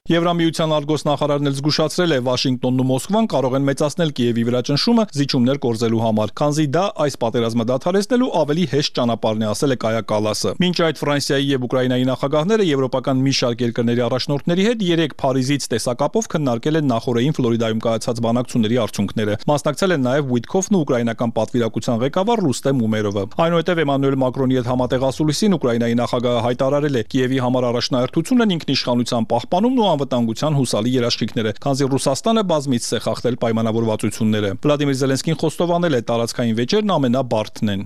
Եվրամիության արտգործնախարարն էլ զգուշացրել է, Վաշինգտոնն ու Մոսկվան կարող են մեծացնել Կիևի վրա ճնշումը զիջումներ կորզելու համար, քանզի դա այս պատերազմը դադարեցնելու ավելի հեշտ ճանապարհն է, ասել է Կայա Կալասը։ Մինչ այդ Ֆրանսիայի եւ Ուկրաինայի նախագահները եվրոպական մի շարք երկրների առաջնորդների հետ երեք Փարիզից տեսակապով քննարկել են նախորդային Ֆլորիդայում կայացած բանակցությունների արդյունքները։ Մասնակցել են նաեւ Ուիտքոֆն ու ուկրաինական պատվիրակության ղեկավար Ռուստեմ Ումերովը։ Այնուհետև Էմանուել Մակրոնի հետ համատեղ ասուլիսին Ուկրաինայի նախագահը հայտարարել է Կիևի համար առաջնահերթությունն ինքնիշխանության պահպանումն ու անվտանգության հուսալի երաշխիքները, քանզի Ռուսաստանը բազմիցս է խախտել պայմանավորվածությունները։ Վլադիմիր Զելենսկին խոստովանել է, տարածքային վեճերն ամենաբարդն են։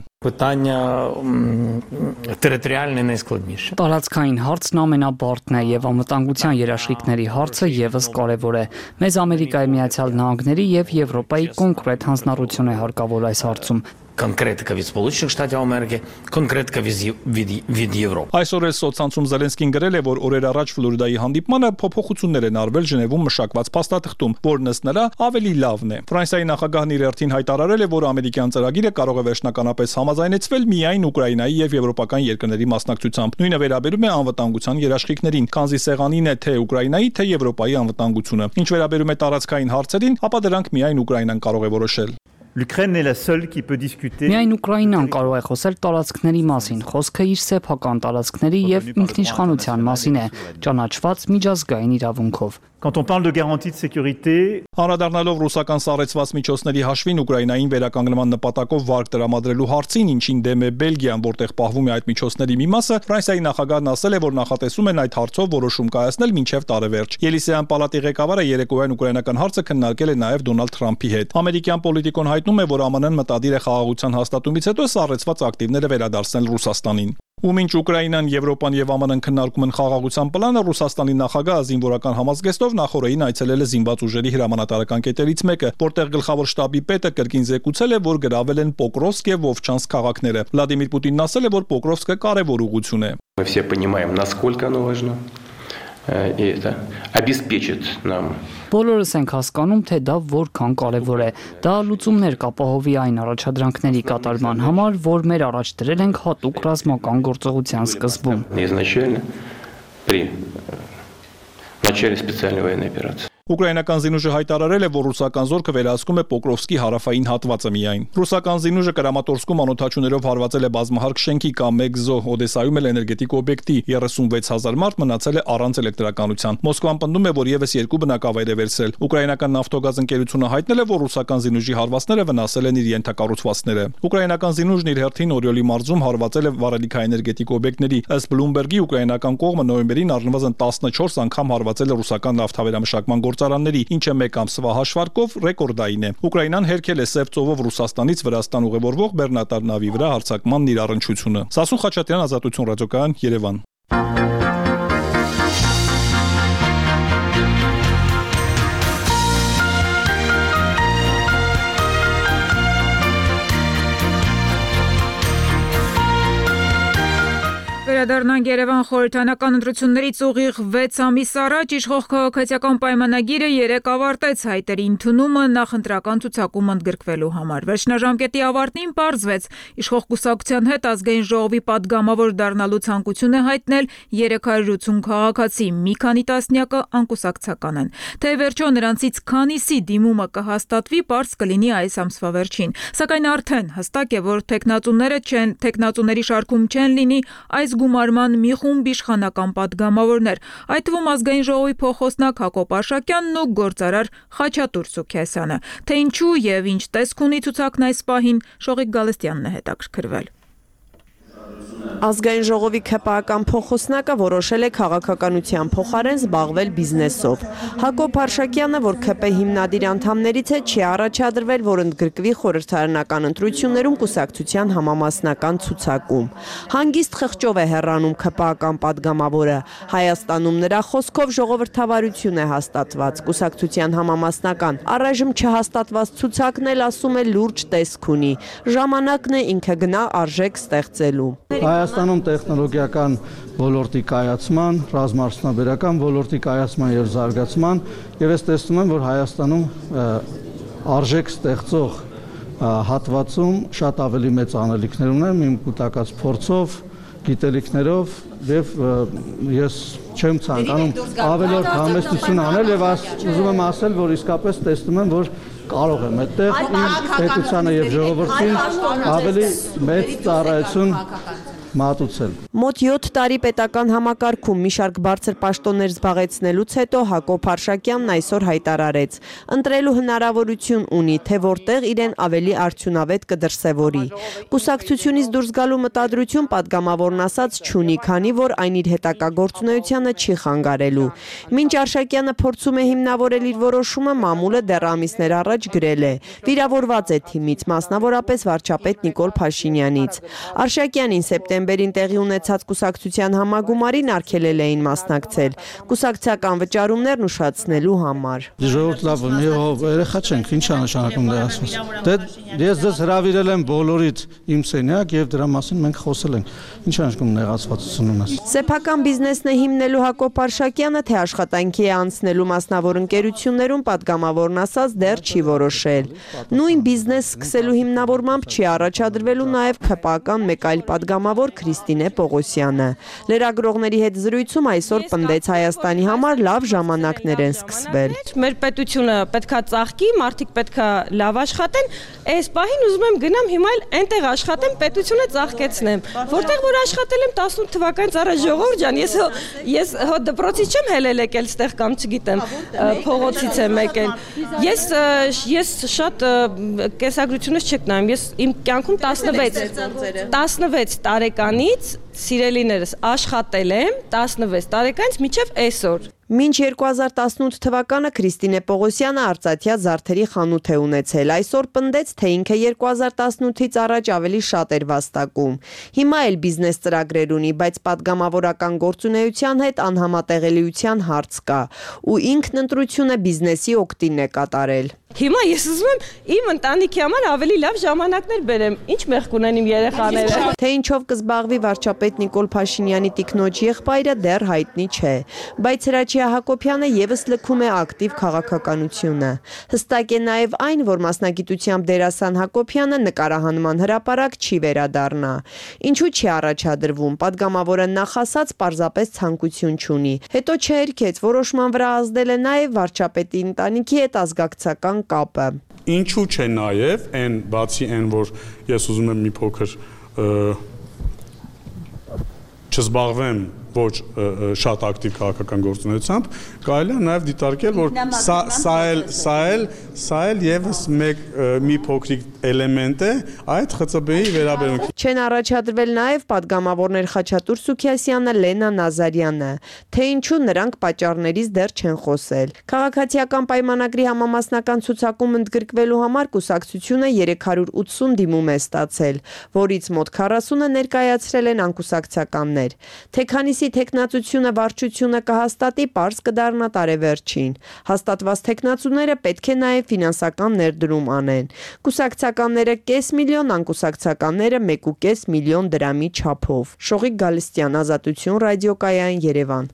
Տարածքային հարցն ամենաբարդն է եւ անվտանգության երաշխիքների հարցը եւս կարեւոր է։ Մեզ Ամերիկայի Միացյալ Նահանգների եւ Եվրոպայի կոնկրետ հանձնառություն է հարկավոր այս հարցում։ Конкретика від Сполучених Штатів Америки, конкретика від, від, від Європи. Այսօր էլ սոցցանցում Զելենսկին գրել է, որ օրեր առաջ Ֆլորիդայի հանդիպմանը փոփոխություններ են արվել Ժնևում մշակված փաստաթղթում, որն ըստ նրա ավելի լավն է։ Ֆրանսիայի նախագահն իր հերթին հայտարարել է, որ ամերիկյան ծրագիրը կարող է վերջնականապես համաձայնեցվել միայն Ուկրաինայի եւ եվրոպական երկրների մասնակցությամբ։ Նույնը վերաբերում է անվտանգության երաշխիքներին, քանզի սեղանին է թե Ուկրաինայի, թե Եվրոպայի անվտանգությունը։ Ինչ վերաբերում է տարածքային հարցերին, ապա դրանք միայն Ուկրաինան կարող է որոշել։ L'Ukraine est la seule qui peut discuter. Միայն Ուկրաինան կարող է խոսել տարածքների մասին, խոսքը իր սեփական տարածքների եւ ինքնիշխանության մասին է, ճանաչված միջազգային իրավունքով։ Quand on parle de garantie de sécurité, Անդրադառնալով ռուսական սառեցված միջոցների հաշվին Ուկրաինային վերականգնման նպատակով վարկ տրամադրելու հարցին, ինչին դեմ է Բելգիան, որտեղ պահվում է այդ միջոցների մի մասը, Ֆրանսիայի նախագահն ասել է, որ նախատեսում են այդ հարցով որոշում կայացնել մինչև տարեվերջ։ Ելիսեյան պալատի ղեկավարը երեկոյան ուկրաինական հարցը քննարկել է նաև Դոնալդ Թրամփի հետ։ Ամերիկյան պոլիտիկոն հայտնում է, որ ԱՄՆ-ն մտադիր է խաղաղության հաստատումից հետո սառեցված ակտիվները վերադարձնել Ռուսաստանին։ Ու մինչ Ուկրաինան, Եվրոպան եւ ԱՄՆ-ն քննարկում են խաղաղության պլանը, Ռուսաստանի նախագահը զինվորական համազգեստով նախորդին այցելել է զինված ուժերի հրամանատարական կետերից մեկը, որտեղ գլխավոր շտաբի պետը կրկին զեկուցել է, որ գրավել են Պոկրովսկ եւ Վովչանսկ քաղաքները։ Վլադիմիր Պուտինն ասել է, որ Պոկրովսկը կարևոր ուղղություն է։ Мы все понимаем, насколько оно важно. И это обеспечит нам. Բոլորս ենք հասկանում, թե դա որքան կարևոր է։ Դա луծումներ կապահովի այն առաջադրանքների կատարման համար, որ մեր առաջ դրել ենք հատուկ ռազմական գործողության սկզբում։ Изначально при начале специальной военной операции. Ուկրաինական զինուժը հայտարարել է, որ ռուսական զորքը վերահսկում է Պոկրովսկի հարավային հատվածը միայն։ Ռուսական զինուժը Կրամատորսկում անօթաչուներով հարվածել է բազմահարկ շենքի կամ մեկ զոհ, Օդեսայում էլ էներգետիկ օբյեկտի, երեսունվեց հազար մարդ մնացել է առանց էլեկտրականության։ Մոսկվան պնդում է, որ եւս երկու բնակավայր է վերցրել։ Ուկրաինական նավթոգազ ընկերությունը հայտնել է, որ ռուսական զինուժի հարվածները վնասել են իր ենթակառուցվածքները։ Ուկրաինական զինուժն իր հերթին Օրիոլի մարզում հարվածել է վառելիքաէներգետիկ օբյեկտների։ Ըստ Բլումբերգի ուկրաինական կողմը նոյեմբերին առնվազն տասնչորս անգամ հարվածել է ռուսական նավթավերամշակման գործարանների, ինչը մեկ ամսվա հաշվարկով ռեկորդային է։ Ուկրաինան հերքել է Սև ծովով Ռուսաստանից Վրաստան ուղևորվող բեռնատար նավի վրա հարձակմանն իր առնչությունը։ Սասուն Խաչատրյան, Ազատություն ռադիոկայան, Երևան։ Վերադառնանք Երևան խորհրդանական ընտրություններից ուղիղ վեց ամիս առաջ իշխող քաղաքացիական պայմանագիրը երեկ ավարտեց հայտերի ընդունումը նախընտրական ցուցակում ընդգրկվելու համար։ Վերջնաժամկետի ավարտին պարզվեց, իշխող կուսակցության հետ ազգային ժողովի պատգամավոր դառնալու ցանկություն է հայտնել երեք հարյուր ութսուն քաղաքացի, մի քանի տասնյակը անկուսակցական են։ Թե վերջո նրանցից քանիսի դիմումը կհաստատվի, պարզ կլինի այս ամսվա վերջին։ Սակայն արդեն հստակ է, որ տեխնացուները չեն, տեխնացուների շարքում չեն լինի այս գումարման մի խումբ իշխանական պատգամավորներ, այդ թվում ազգային ժողովի փոխոսնակ Հակոբ Աշակյանն ու գործարար Խաչատուր Սուքիասյանը։ Թե ինչու եւ ինչ տեսք ունի ցուցակն այս պահին, Շողիկ Գալստյանն է հետաքրքրվել։ Ազգային ժողովի ՔՊԱ-ական փոխոսնակը որոշել է քաղաքականության փոխարեն զբաղվել բիզնեսով։ Հակոբ Արշակյանը, որ ՔՊ հիմնադիր անդամներից է, չի առաջադրվել, որ ընդգրկվի խորհրդարանական ընտրություններում կուսակցության համամասնական ցուցակում։ Հանգիստ խղճով է հեռանում ՔՊԱ-ական падգամավորը։ Հայաստանում նրա խոսքով ժողովրդավարություն է հաստատված։ Կուսակցության համամասնական առայժմ չհաստատված ցուցակն էլ, ասում է, լուրջ տեսք ունի։ Ժամանակն է ինքը գնա արժեք ստեղծելու։ Հայաստանում տեխնոլոգիական ոլորտի կայացման, ռազմաարդյունաբերական ոլորտի կայացման եւ զարգացման եւ ես տեսնում եմ, որ Հայաստանում արժեք ստեղծող հատվածում շատ ավելի մեծ անելիքներ ունեն, իմ կուտակած փորձով, գիտելիքներով եւ ես չեմ ցանկանում ավելորդ համեստություն անել եւ ուզում եմ ասել, որ իսկապես տեսնում եմ, որ կարող եմ այդտեղ իմ պետությանը եւ ժողովրդին ավելի մեծ ծառայություն մատուցել։ Մոտ յոթ տարի պետական համակարգում մի շարք բարձր պաշտոններ զբաղեցնելուց հետո Հակոբ Արշակյանն այսօր հայտարարեց. ընտրելու հնարավորություն ունի, թե որտեղ իրեն ավելի արդյունավետ կդրսևորի։ Կուսակցությունից դուրս գալու մտադրություն падգամավորն ասաց չունի, քանի որ այն իր հետագա գործունեությանը չի խանգարելու։ Մինչ Արշակյանը փորձում է հիմնավորել իր որոշումը, մամուլը դեռ ամիսներ առաջ գրել է. վիրավորված է թիմից, մասնավորապես վարչապետ Նիկոլ Փաշինյանից։ Արշակյանին սեպտեմբերին տեղի ունեցած կուսակցության համագումարին արգելել էին մասնակցել կուսակցական վճարումներն ուշացնելու համար։ Ժողովուրդ լավ, երեխա չենք, ինչ է նշանակում դա ասած։ Դե ես ձեզ հրավիրել եմ բոլորիդ իմ սենյակ եւ դրա մասին մենք խոսել ենք։ Ինչ է նշանակում նեղացվածություն ունես։ Սեփական բիզնեսն է հիմնելու Հակոբ Արշակյանը, թե աշխատանքի է անցնելու մասնավոր ընկերություններում, падգամավորն ասած դեռ չի որոշել։ Նույն բիզնես սկսելու հիմնավորմամբ չի առաջադրվելու նաեւ ՔՊԱ-ական մեկ այլ падգամավոր Քրիստինե Պողոսյանը։ Լրագրողների հետ զրույցում այսօր պնդեց Հայաստանի համար լավ ժամանակներ են սկսվել։ Մեր պետությունը պետքա ծաղկի, մարդիկ պետքա լավ աշխատեն, այս պահին ուզում եմ գնամ հիմա էլ այնտեղ աշխատեմ, պետությունը ծաղկեցնեմ։ Որտեղ որ աշխատել եմ տասնութ թվականից առաջ, ժողովուրդ ջան, ես ես հո դպրոցից չեմ հելել եկել ստեղ կամ չգիտեմ, փողոցից եմ եկել։ Ես ես շատ կեսագրությունից չեք նայում, ես իմ կյանքում տասնվեց տարեկանից սիրելիներս աշխատել եմ տասնվեց տարեկանից մինչև այսօր։ Մինչ երկու հազար տասնութ թվականը Քրիստինե Պողոսյանը արծաթյա զարդերի խանութ է ունեցել, այսօր պնդեց, թե ինքը երկու հազար տասնութից առաջ ավելի շատ էր վաստակում։ Հիմա էլ բիզնես ծրագրեր ունի, բայց падգամավորական գործունեության հետ անհամատեղելիության հարց կա, ու ինքն ընտրությունը բիզնեսի օգտին է կատարել։ Հիմա ես ուզում եմ իմ ընտանիքի համար ավելի լավ ժամանակներ բերեմ, ինչ մեղք ունեն իմ երեխաները։ Թե ինչով կզբաղվի վարչապետ Նիկոլ Փաշինյանի տիկնոջ եղբայրը դեռ հայտնի չէ, բայց Հրաչյա Հակոբյանը եւս լքում է ակտիվ քաղաքականությունը։ Հստակ է նաեւ այն, որ մասնագիտությամբ դերասան Հակոբյանը նկարահանման հրապարակ չի վերադառնա։ Ինչու չի առաջադրվում, падգամավորը նախասած պարզապես ցանկություն չունի։ Հետո չհերքեց, որոշման վրա ազդել է նաեւ վարչապետի ընտանիքի հետ ազգակցական կապը։ Ինչու՞ չէ նաև այն բացի այն, որ ես ուզում եմ մի փոքր չզբաղվեմ ոչ շատ ակտիվ քաղաքական գործունեությամբ, կարելի է նաև դիտարկել, որ սա սա էլ սա էլ սա էլ եւս մեկ մի փոքրիկ էլեմենտ է այդ ԽՑԲ-ի վերաբերյալ։ Չեն առաջադրվել նաև падգամավորներ Խաչատուր Սուքիասյանը, Լենա Նազարյանը, թե ինչու նրանք պատճառներից դեռ չեն խոսել։ Քաղաքացիական պայմանագրի համամասնական ցուցակում ընդգրկվելու համար կուսակցությունը երեք հարյուր ութսուն դիմում է ստացել, որից մոտ քառասունը ներկայացրել են անկուսակցականներ։ Թե քանիսի թեկնածությունը վարչությունը կհաստատի, պարզ կդառնա տարեվերջին։ Հաստատված թեկնածուները պետք է նաև ֆինանսական ներդրում անեն։ Կուսակցականները կես միլիոն, անկուսակցականները մեկ ու կես միլիոն դրամի չափով։ Շողիկ Գալստյան, Ազատություն ռադիոկայան, Երևան։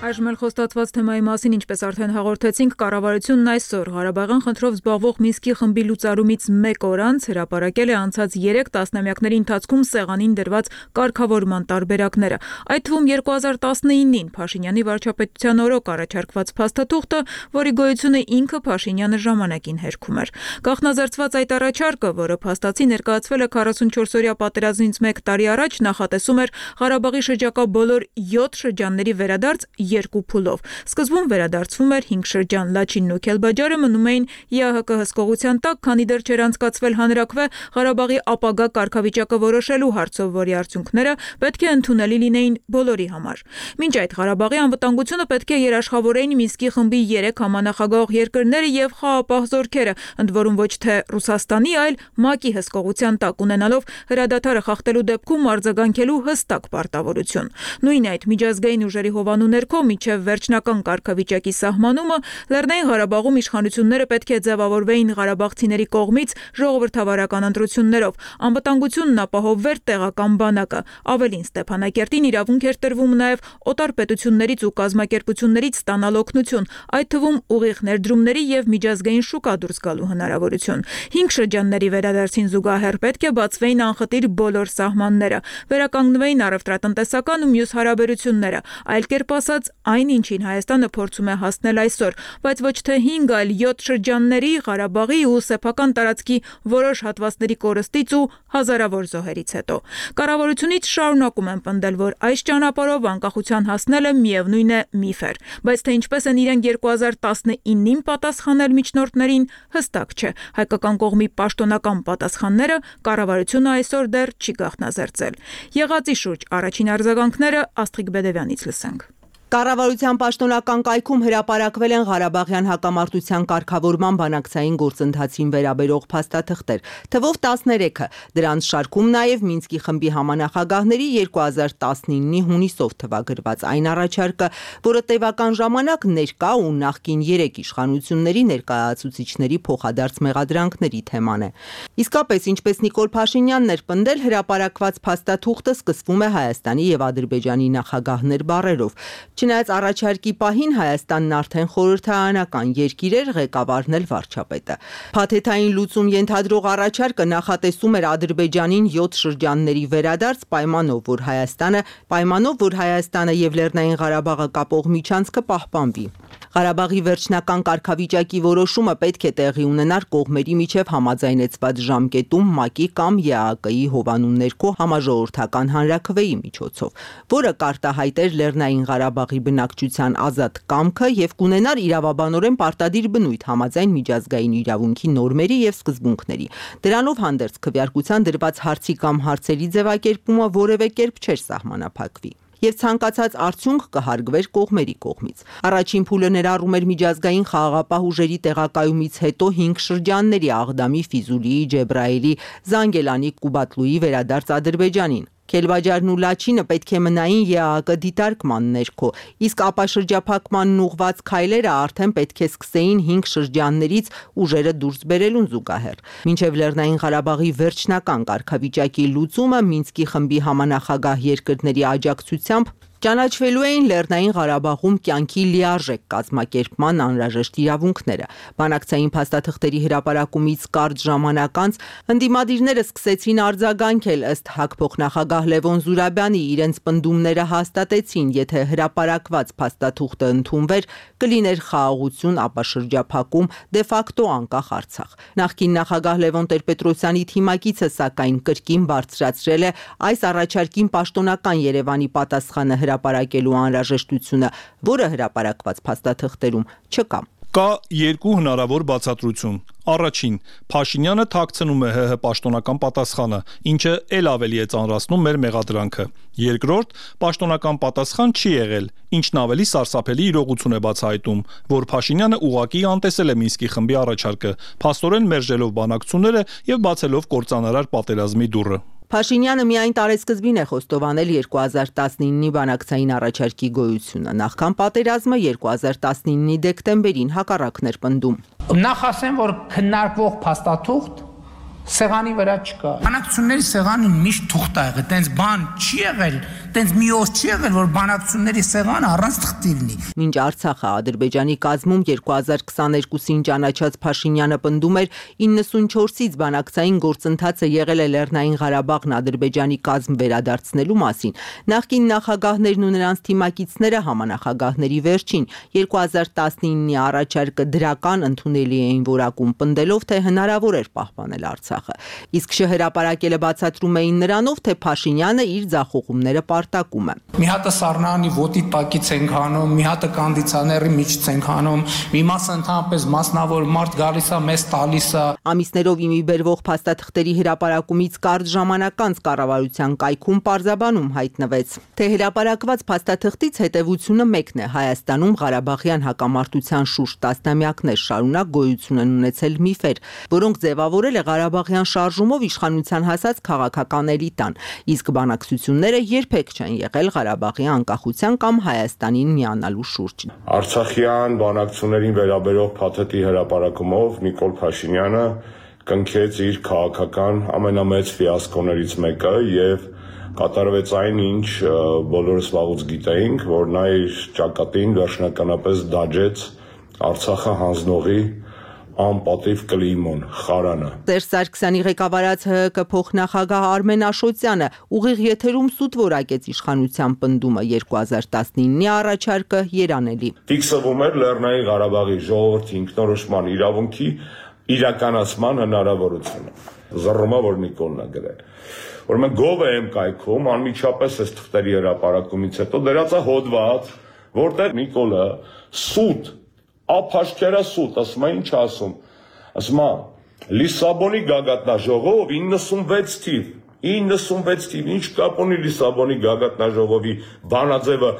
Այժմ էլ խոստացված թեմայի մասին, ինչպես արդեն հաղորդեցինք, կառավարությունն այսօր Ղարաբաղյան խնդրով զբաղվող Մինսկի խմբի լուծարումից մեկ օր անց հրապարակել է անցած երեք տասնամյակների ընթացքում սեղանին դրված կարգավորման տարբերակները։ Այդ թվում երկու հազար տասնինին Փաշինյանի վարչապետության օրոք առաջարկված փաստաթուղթը, որի գոյությունը ինքը Փաշինյանը ժամանակին հերքում էր։ Գաղտնազերծված այդ առաջարկը, որը փաստացի ներկայացվել է քառասունչորսօրյա պատերազմից մեկ տարի առաջ, նախատեսում էր Ղարաբաղի շրջակա բոլոր յոթ շրջանների վերադարձ երկու փուլով։ Սկզբում վերադարձվում էր հինգ շրջան, Լաչինն ու Քելբաջարը մնում էին ԵԱՀԿ հսկողության տակ, քանի դեռ չէր անցկացվել հանրաքվե Ղարաբաղի ապագա կարգավիճակը որոշելու հարցով, որի արդյունքները պետք է ընդունելի լինեին բոլորի համար։ Մինչ այդ Ղարաբաղի անվտանգությունը պետք է երաշխավորեին Մինսկի խմբի երեք համանախագահող երկրները եւ խաղապահ զորքերը, ընդ որում ոչ թե Ռուսաստանի, այլ ՄԱԿ-ի հսկողության տակ, ունենալով հրադադարը խախտելու դեպքում արձագանքելու հստակ պարտավորություն։ Նույն այդ միջազգային ուժերի հովանու ներքո մինչև վերջնական կարգավիճակի սահմանումը Լեռնային Ղարաբաղում իշխանությունները պետք է ձևավորվեին ղարաբաղցիների կողմից ժողովրդավարական ընտրություններով, անվտանգությունն ապահովվեր տեղական բանակը, ավելին Ստեփանակերտին իրավունք էր տրվում նաև օտար պետություններից ու կազմակերպություններից ստանալ օգնություն, այդ թվում ուղիղ ներդրումների եւ միջազգային շուկա դուրս գալու հնարավորություն։ Հինգ շրջանների վերադարձին զուգահեռ պետք է բացվեին անխտիր բոլոր սահմանները, վերականգնվեին առևտրատնտեսական ու մյուս հարաբերությունները, այլ կերպ ասած, այն ինչին Հայաստանը փորձում է հասնել այսօր, բայց ոչ թե հինգ, այլ յոթ շրջանների, Ղարաբաղի ու սեփական տարածքի որոշ հատվածների կորստից ու հազարավոր զոհերից հետո։ Կառավարությունից շարունակում են պնդել, որ այս ճանապարհով անկախության հասնելը միևնույն է միֆ էր, բայց թե ինչպես են իրենք երկու հազար տասնինին պատասխանել միջնորդներին, հստակ չէ։ Հայկական կողմի պաշտոնական պատասխանները կառավարությունը այսօր դեռ չի գաղտնազերծել։ Եղածի շուրջ առաջին արձագանքները Աստղիկ Բեդևյանից լսենք։ Կառավարության պաշտոնական կայքում հրապարակվել են Ղարաբաղյան հակամարտության կարգավորման բանակցային գործընթացին վերաբերող փաստաթղթեր, թվով տասներեքը, դրանց շարքում նաև Մինսկի խմբի համանախագահների երկու հազար տասնինի հունիսով թվագրված այն առաջարկը, որը տևական ժամանակ ներկա ու նախկին երեք իշխանությունների ներկայացուցիչների փոխադարձ մեղադրանքների թեման է։ Իսկապես, ինչպես Նիկոլ Փաշինյանն էր պնդել, հրապարակված փաստաթուղթը սկսվում է Հայաստանի եւ Ադրբեջանի նախագահներ բառերով։ Չնայած առաջարկի պահին Հայաստանն արդեն խորհրդարանական երկիր էր, ղեկավարն էլ վարչապետը։ Փաթեթային լուծում ենթադրող առաջարկը նախատեսում էր Ադրբեջանին յոթ շրջանների վերադարձ պայմանով, որ Հայաստանը պայմանով, որ Հայաստանը եւ Լեռնային Ղարաբաղը կապող միջանցքը պահպանվի։ Ղարաբաղի վերջնական կարգավիճակի որոշումը պետք է տեղի ունենար կողմերի միջև համաձայնեցված ժամկետում ՄԱԿ-ի կամ ԵԱՀԿ-ի հովանու ներքո համաժողովրդական հանրաքվեի միջոցով, որը կարտահայտեր Լեռնային Ղարաբաղի բնակչության ազատ կամքը եւ կունենար իրավաբանորեն պարտադիր բնույթ համաձայն միջազգային իրավունքի նորմերի եւ սկզբունքների։ Դրանով հանդերձ քվեարկության դրված հարցի կամ հարցերի ձևակերպումը որևէ կերպ չէր սահմանափակվի եւ ցանկացած արդյունք կհարգվեր կողմերի կողմից։ Առաջին փուլը ներառում էր միջազգային խաղաղապահ ուժերի տեղակայումից հետո հինգ շրջանների Աղդամի, Ֆիզուլիի, Ջեբրայելի, Զանգելանի, Կուբատլուի վերադարձ Ադրբեջանին։ Քելբաջարն ու Լաչինը պետք է մնային ԵԱՀԿ դիտարկման ներքո, իսկ ապաշրջափակմանն ուղված քայլերը արդեն պետք է սկսեին հինգ շրջաններից ուժերը դուրս բերելուն զուգահեռ։ Մինչև Լեռնային Ղարաբաղի վերջնական կարգավիճակի լուծումը Մինսկի խմբի համանախագահ երկրների աջակցությամբ ճանաչվելու էին Լեռնային Ղարաբաղում կյանքի լիարժեք կազմակերպման անհրաժեշտ իրավունքները։ Բանակցային փաստաթղթերի հրապարակումից կարճ ժամանակ անց ընդդիմադիրները սկսեցին արձագանքել, ըստ ՀԱԿ փոխնախագահ Լևոն Զուրաբյանի, իրենց պնդումները հաստատեցին, եթե հրապարակված փաստաթուղթը ընդունվեր, կլիներ խաղաղություն, ապաշրջափակում, դե ֆակտո անկախ Արցախ։ Նախկին նախագահ Լևոն Տեր-Պետրոսյանի թիմակիցը սակայն կրկին բարձրացրել է այս առաջարկին պաշտոնական Երևանի պատասխանը հրապարակելու անհրաժեշտությունը, որը հրապարակված փաստաթղթերում չկա։ Կա երկու հնարավոր բացատրություն։ Առաջին, Փաշինյանը թաքցնում է ՀՀ պաշտոնական պատասխանը, ինչը ել ավելի է ծանրացնում մեր մեղադրանքը։ Երկրորդ, պաշտոնական պատասխան չի եղել, ինչն ավելի սարսափելի իրողություն է բացահայտում, որ Փաշինյանը ուղղակի անտեսել է Մինսկի խմբի առաջարկը, փաստորեն մերժելով բանակցությունները եւ բացելով կործանարար պատերազմի դուռը։ Փաշինյանը միայն տարեսկզբին է խոստովանել երկու հազար տասնինի բանակցային առաջարկի գոյությունը, նախքան պատերազմը երկու հազար տասնինի դեկտեմբերին հակառակն էր պնդում։ Նախ ասեմ, որ քննարկվող փաստաթուղթ սեղանի վրա չկա։ Բանակցությունների սեղանը միշտ թուղթ ա եղել, տենց բան չի եղել, տենց մի օր չի եղել, որ բանակցությունների սեղանը առանց թղթի լինի։ Մինչ Արցախը Ադրբեջանի կազմում երկու հազար քսաներկուսին ճանաչած Փաշինյանը պնդում էր իննսունչորսից բանակցային գործընթացը եղել է Լեռնային Ղարաբաղն Ադրբեջանի կազմ վերադարձնելու մասին։ Նախկին նախագահներն ու նրանց թիմակիցները համանախագահների վերջին երկու հազար տասնինի առաջարկը դրական ընդունելի էին որակում պնդելով, թե հնարավոր էր պահպանել Արցախ։ Իսկ շհրապարակելը բացատրում էին նրանով, թե Փաշինյանը իր ձախողումները պարզ մարտակումը։ Մի հատը սառնանի ոտի տակից ենք հանում, մի հատը կոնդիցիոների միջից ենք հանում, մի մասը ընդհանրապես մասնավոր մարդ գալիս է, մեզ տալիս է։ Ամիսներով իմի բերվող փաստաթղթերի հրապարակումից կարճ ժամանակ անց կառավարության կայքում պարզաբանում հայտնվեց, թե հրապարակված փաստաթղթից հետևությունը մեկն է. Հայաստանում Ղարաբաղյան հակամարտության շուրջ տասնամյակներ շարունակ գոյություն են ունեցել միֆեր, որոնք ձևավորել է Ղարաբաղյան շարժումով իշխանության հասած քաղաքական էլիտան, իսկ բանակցությունները երբեք չեն եղել Ղարաբաղի անկախության կամ Հայաստանին միանալու շուրջ։ Արցախյան բանակցություններին վերաբերող փաթեթի հրապարակումով Նիկոլ Փաշինյանը կնքեց իր քաղաքական ամենամեծ ֆիասկոներից մեկը եւ կատարվեց այն, ինչ բոլորս վաղուց գիտեինք, որ նա իր ճակատին վերջնականապես դաջեց Արցախը հանձնողի անպատիվ կլիմոն, խարանը։ Սերժ Սարգսյանի ղեկավարած ՀՀԿ փոխնախագահ Արմեն Աշոտյանը ուղիղ եթերում սուտ որակեց իշխանության պնդումը երկու հազար տասնինի առաջարկը երանելի։ Ֆիքսվում էր Լեռնային Ղարաբաղի ժողովրդի ինքնորոշման իրավունքի իրականացման հնարավորությունը։ Զռռումա, որ Նիկոլն է գրել։ Որ մենք գովը եմ կայքում անմիջապես այս թղթերի հրապարակումից հետո դրած է հոդված, որտեղ Նիկոլը սուտ Ափաշկերա սուտ, ասում է ինչ ասում, ասում է Լիսաբոնի գագաթնաժողով իննսունվեց թիվ, իննսունվեց թիվ, ինչ կապ ունի Լիսաբոնի գագաթնաժողովի բանաձևը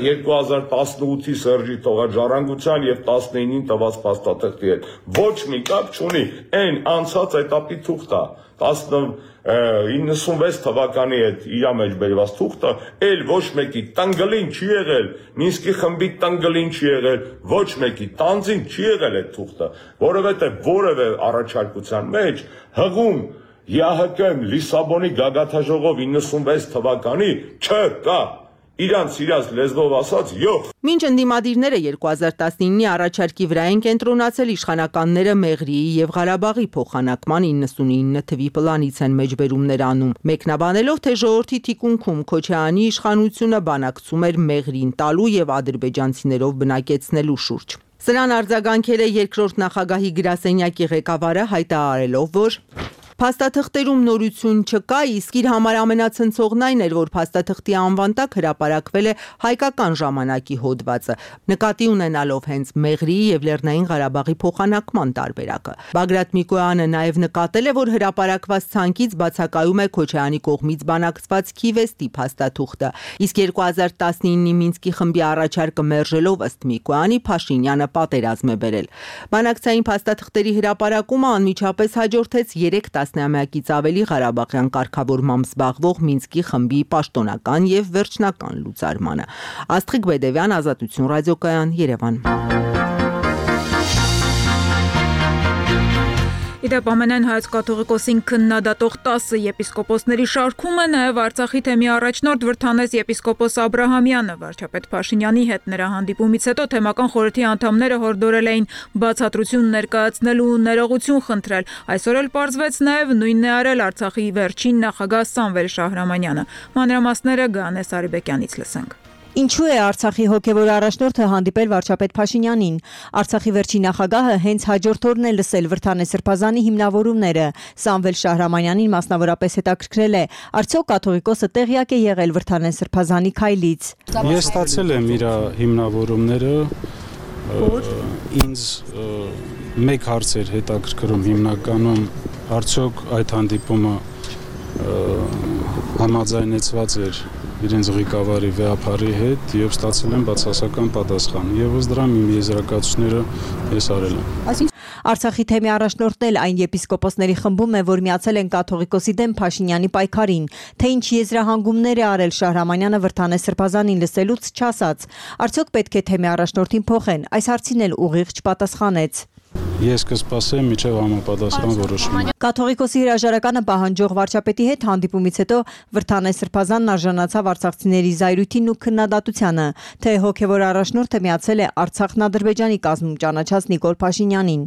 երկու հազար տասնութի Սերժի թողաջառանգության եւ տասնինին տված փաստաթղթի հետ, ոչ մի կապ չունի, այն անցած էտապի թուղթը, իննսունվեց թվականի հետ իրա մեջ բերված թուղթը, էլ ոչ մեկի տնգլին չի եղել, Մինսկի խմբի տնգլին չի եղել, ոչ մեկի տանձին չի եղել այդ թուղթը, որովհետև որևէ առաջարկության մեջ հղում ԵԱՀԿ Լիսաբոնի գագաթնաժողով իննսունվեց թվականի չկա, իրանց իրաց լեզվով ասած յոխ։ Մինչ ընդդիմադիրները երկու հազար տասնինի առաջարկի վրա են կենտրոնացել, իշխանականները Մեղրիի եւ Ղարաբաղի փոխանակման իննսունինը թվի պլանից են մեջբերումներ անում, մեկնաբանելով, թե ժողովրդի թիկունքում Քոչարյանի իշխանությունը բանակցում էր Մեղրին տալու եւ ադրբեջանցիներով բնակեցնելու շուրջ։ Սրան արձագանքել է երկրորդ նախագահի գրասենյակի ղեկավարը, հայտարարելով, որ փաստաթղթերում նորություն չկա, իսկ իր համար ամենացնցողն այն էր, որ փաստաթղթի անվան տակ հրապարակվել է հայկական ժամանակի հոդվածը, նկատի ունենալով հենց Մեղրիի եւ Լեռնային Ղարաբաղի փոխանակման տարբերակը։ Բագրատ Միկոյանը նաեւ նկատել է, որ հրապարակված ցանկից բացակայում է Քոչարյանի կողմից բանակցված Քիվեստի փաստաթուղթը, իսկ երկու հազար տասնինի Մինսկի խմբի առաջարկը մերժելով ըստ Միկոյանի Փաշինյանը պատերազմ է բերել։ Բանակցային փաստաթղթերի հրապարակումը անմիջապես հաջորդեց երեք տասնամյակից ավելի Ղարաբաղյան կարգավորմամբ զբաղվող Մինսկի խմբի պաշտոնական եւ վերջնական լուծարմանը։ Աստղիկ Բեդևյան, Ազատություն ռադիոկայան, Երևան։ Իդեպ ամենայն հայոց կաթողիկոսին քննադատող տասը եպիսկոպոսների շարքումը նաև Արցախի թեմի առաջնորդ Վրդանես եպիսկոպոս Աբրահամյանը վարչապետ Փաշինյանի հետ նրա հանդիպումից հետո թեմական խորհրդի անդամները հորդորել էին բացատրություն ներկայացնելու ու ներողություն խնդրել։ Այսօր էլ պարզվեց նաև նույնն է արել Արցախի վերջին նախագահ Սամվել Շահրամանյանը։ Մանրամասները Գանես Արիբեկյանից լսենք։ Ինչու է Արցախի հոգևոր առաջնորդը հանդիպել վարչապետ Փաշինյանին։ Արցախի վերջին նախագահը հենց հաջորդ օրն է լսել Վրդանես Սրբազանի հիմնավորումները։ Սամվել Շահրամանյանին մասնավորապես հետաքրքրել է, արդյոք կաթողիկոսը տեղյակ է եղել Վրդանես Սրբազանի քայլից։ Ես ստացել եմ իր հիմնավորումները, ինձ մեկ հարց էր հետաքրքրում հիմնականում, արդյոք այդ հանդիպումը համաձայնեցված էր իրենց ղեկավարի վեհապարի հետ եւ ստացել են բացասական պատասխան։ Եվ ըստ դրա իմ եզրակացությունները ես արել եմ։ Արցախի թեմի առաջնորդն էլ այն եպիսկոպոսների խմբում է, որ միացել են կաթողիկոսի դեմ Փաշինյանի պայքարին, թե ինչ եզրահանգումներ է արել Շահրամանյանը Վրդանես Սրբազանին լսելուց չասաց։ Արդյոք պետք է թեմի առաջնորդին փոխեն։ Այս հարցին էլ ուղիղ չպատասխանեց։ Ես կսպասեմ մինչև համապատասխան որոշում։ Կաթողիկոսի հրաժարականը պահանջող վարչապետի հետ հանդիպումից հետո Վրդանես Սրբազանն արժանացավ արցախցիների զայրույթին ու քննադատությանը, թե հոգևոր առաջնորդը միացել է Արցախն-Ադրբեջանի կազմում ճանաչած Նիկոլ Փաշինյանին։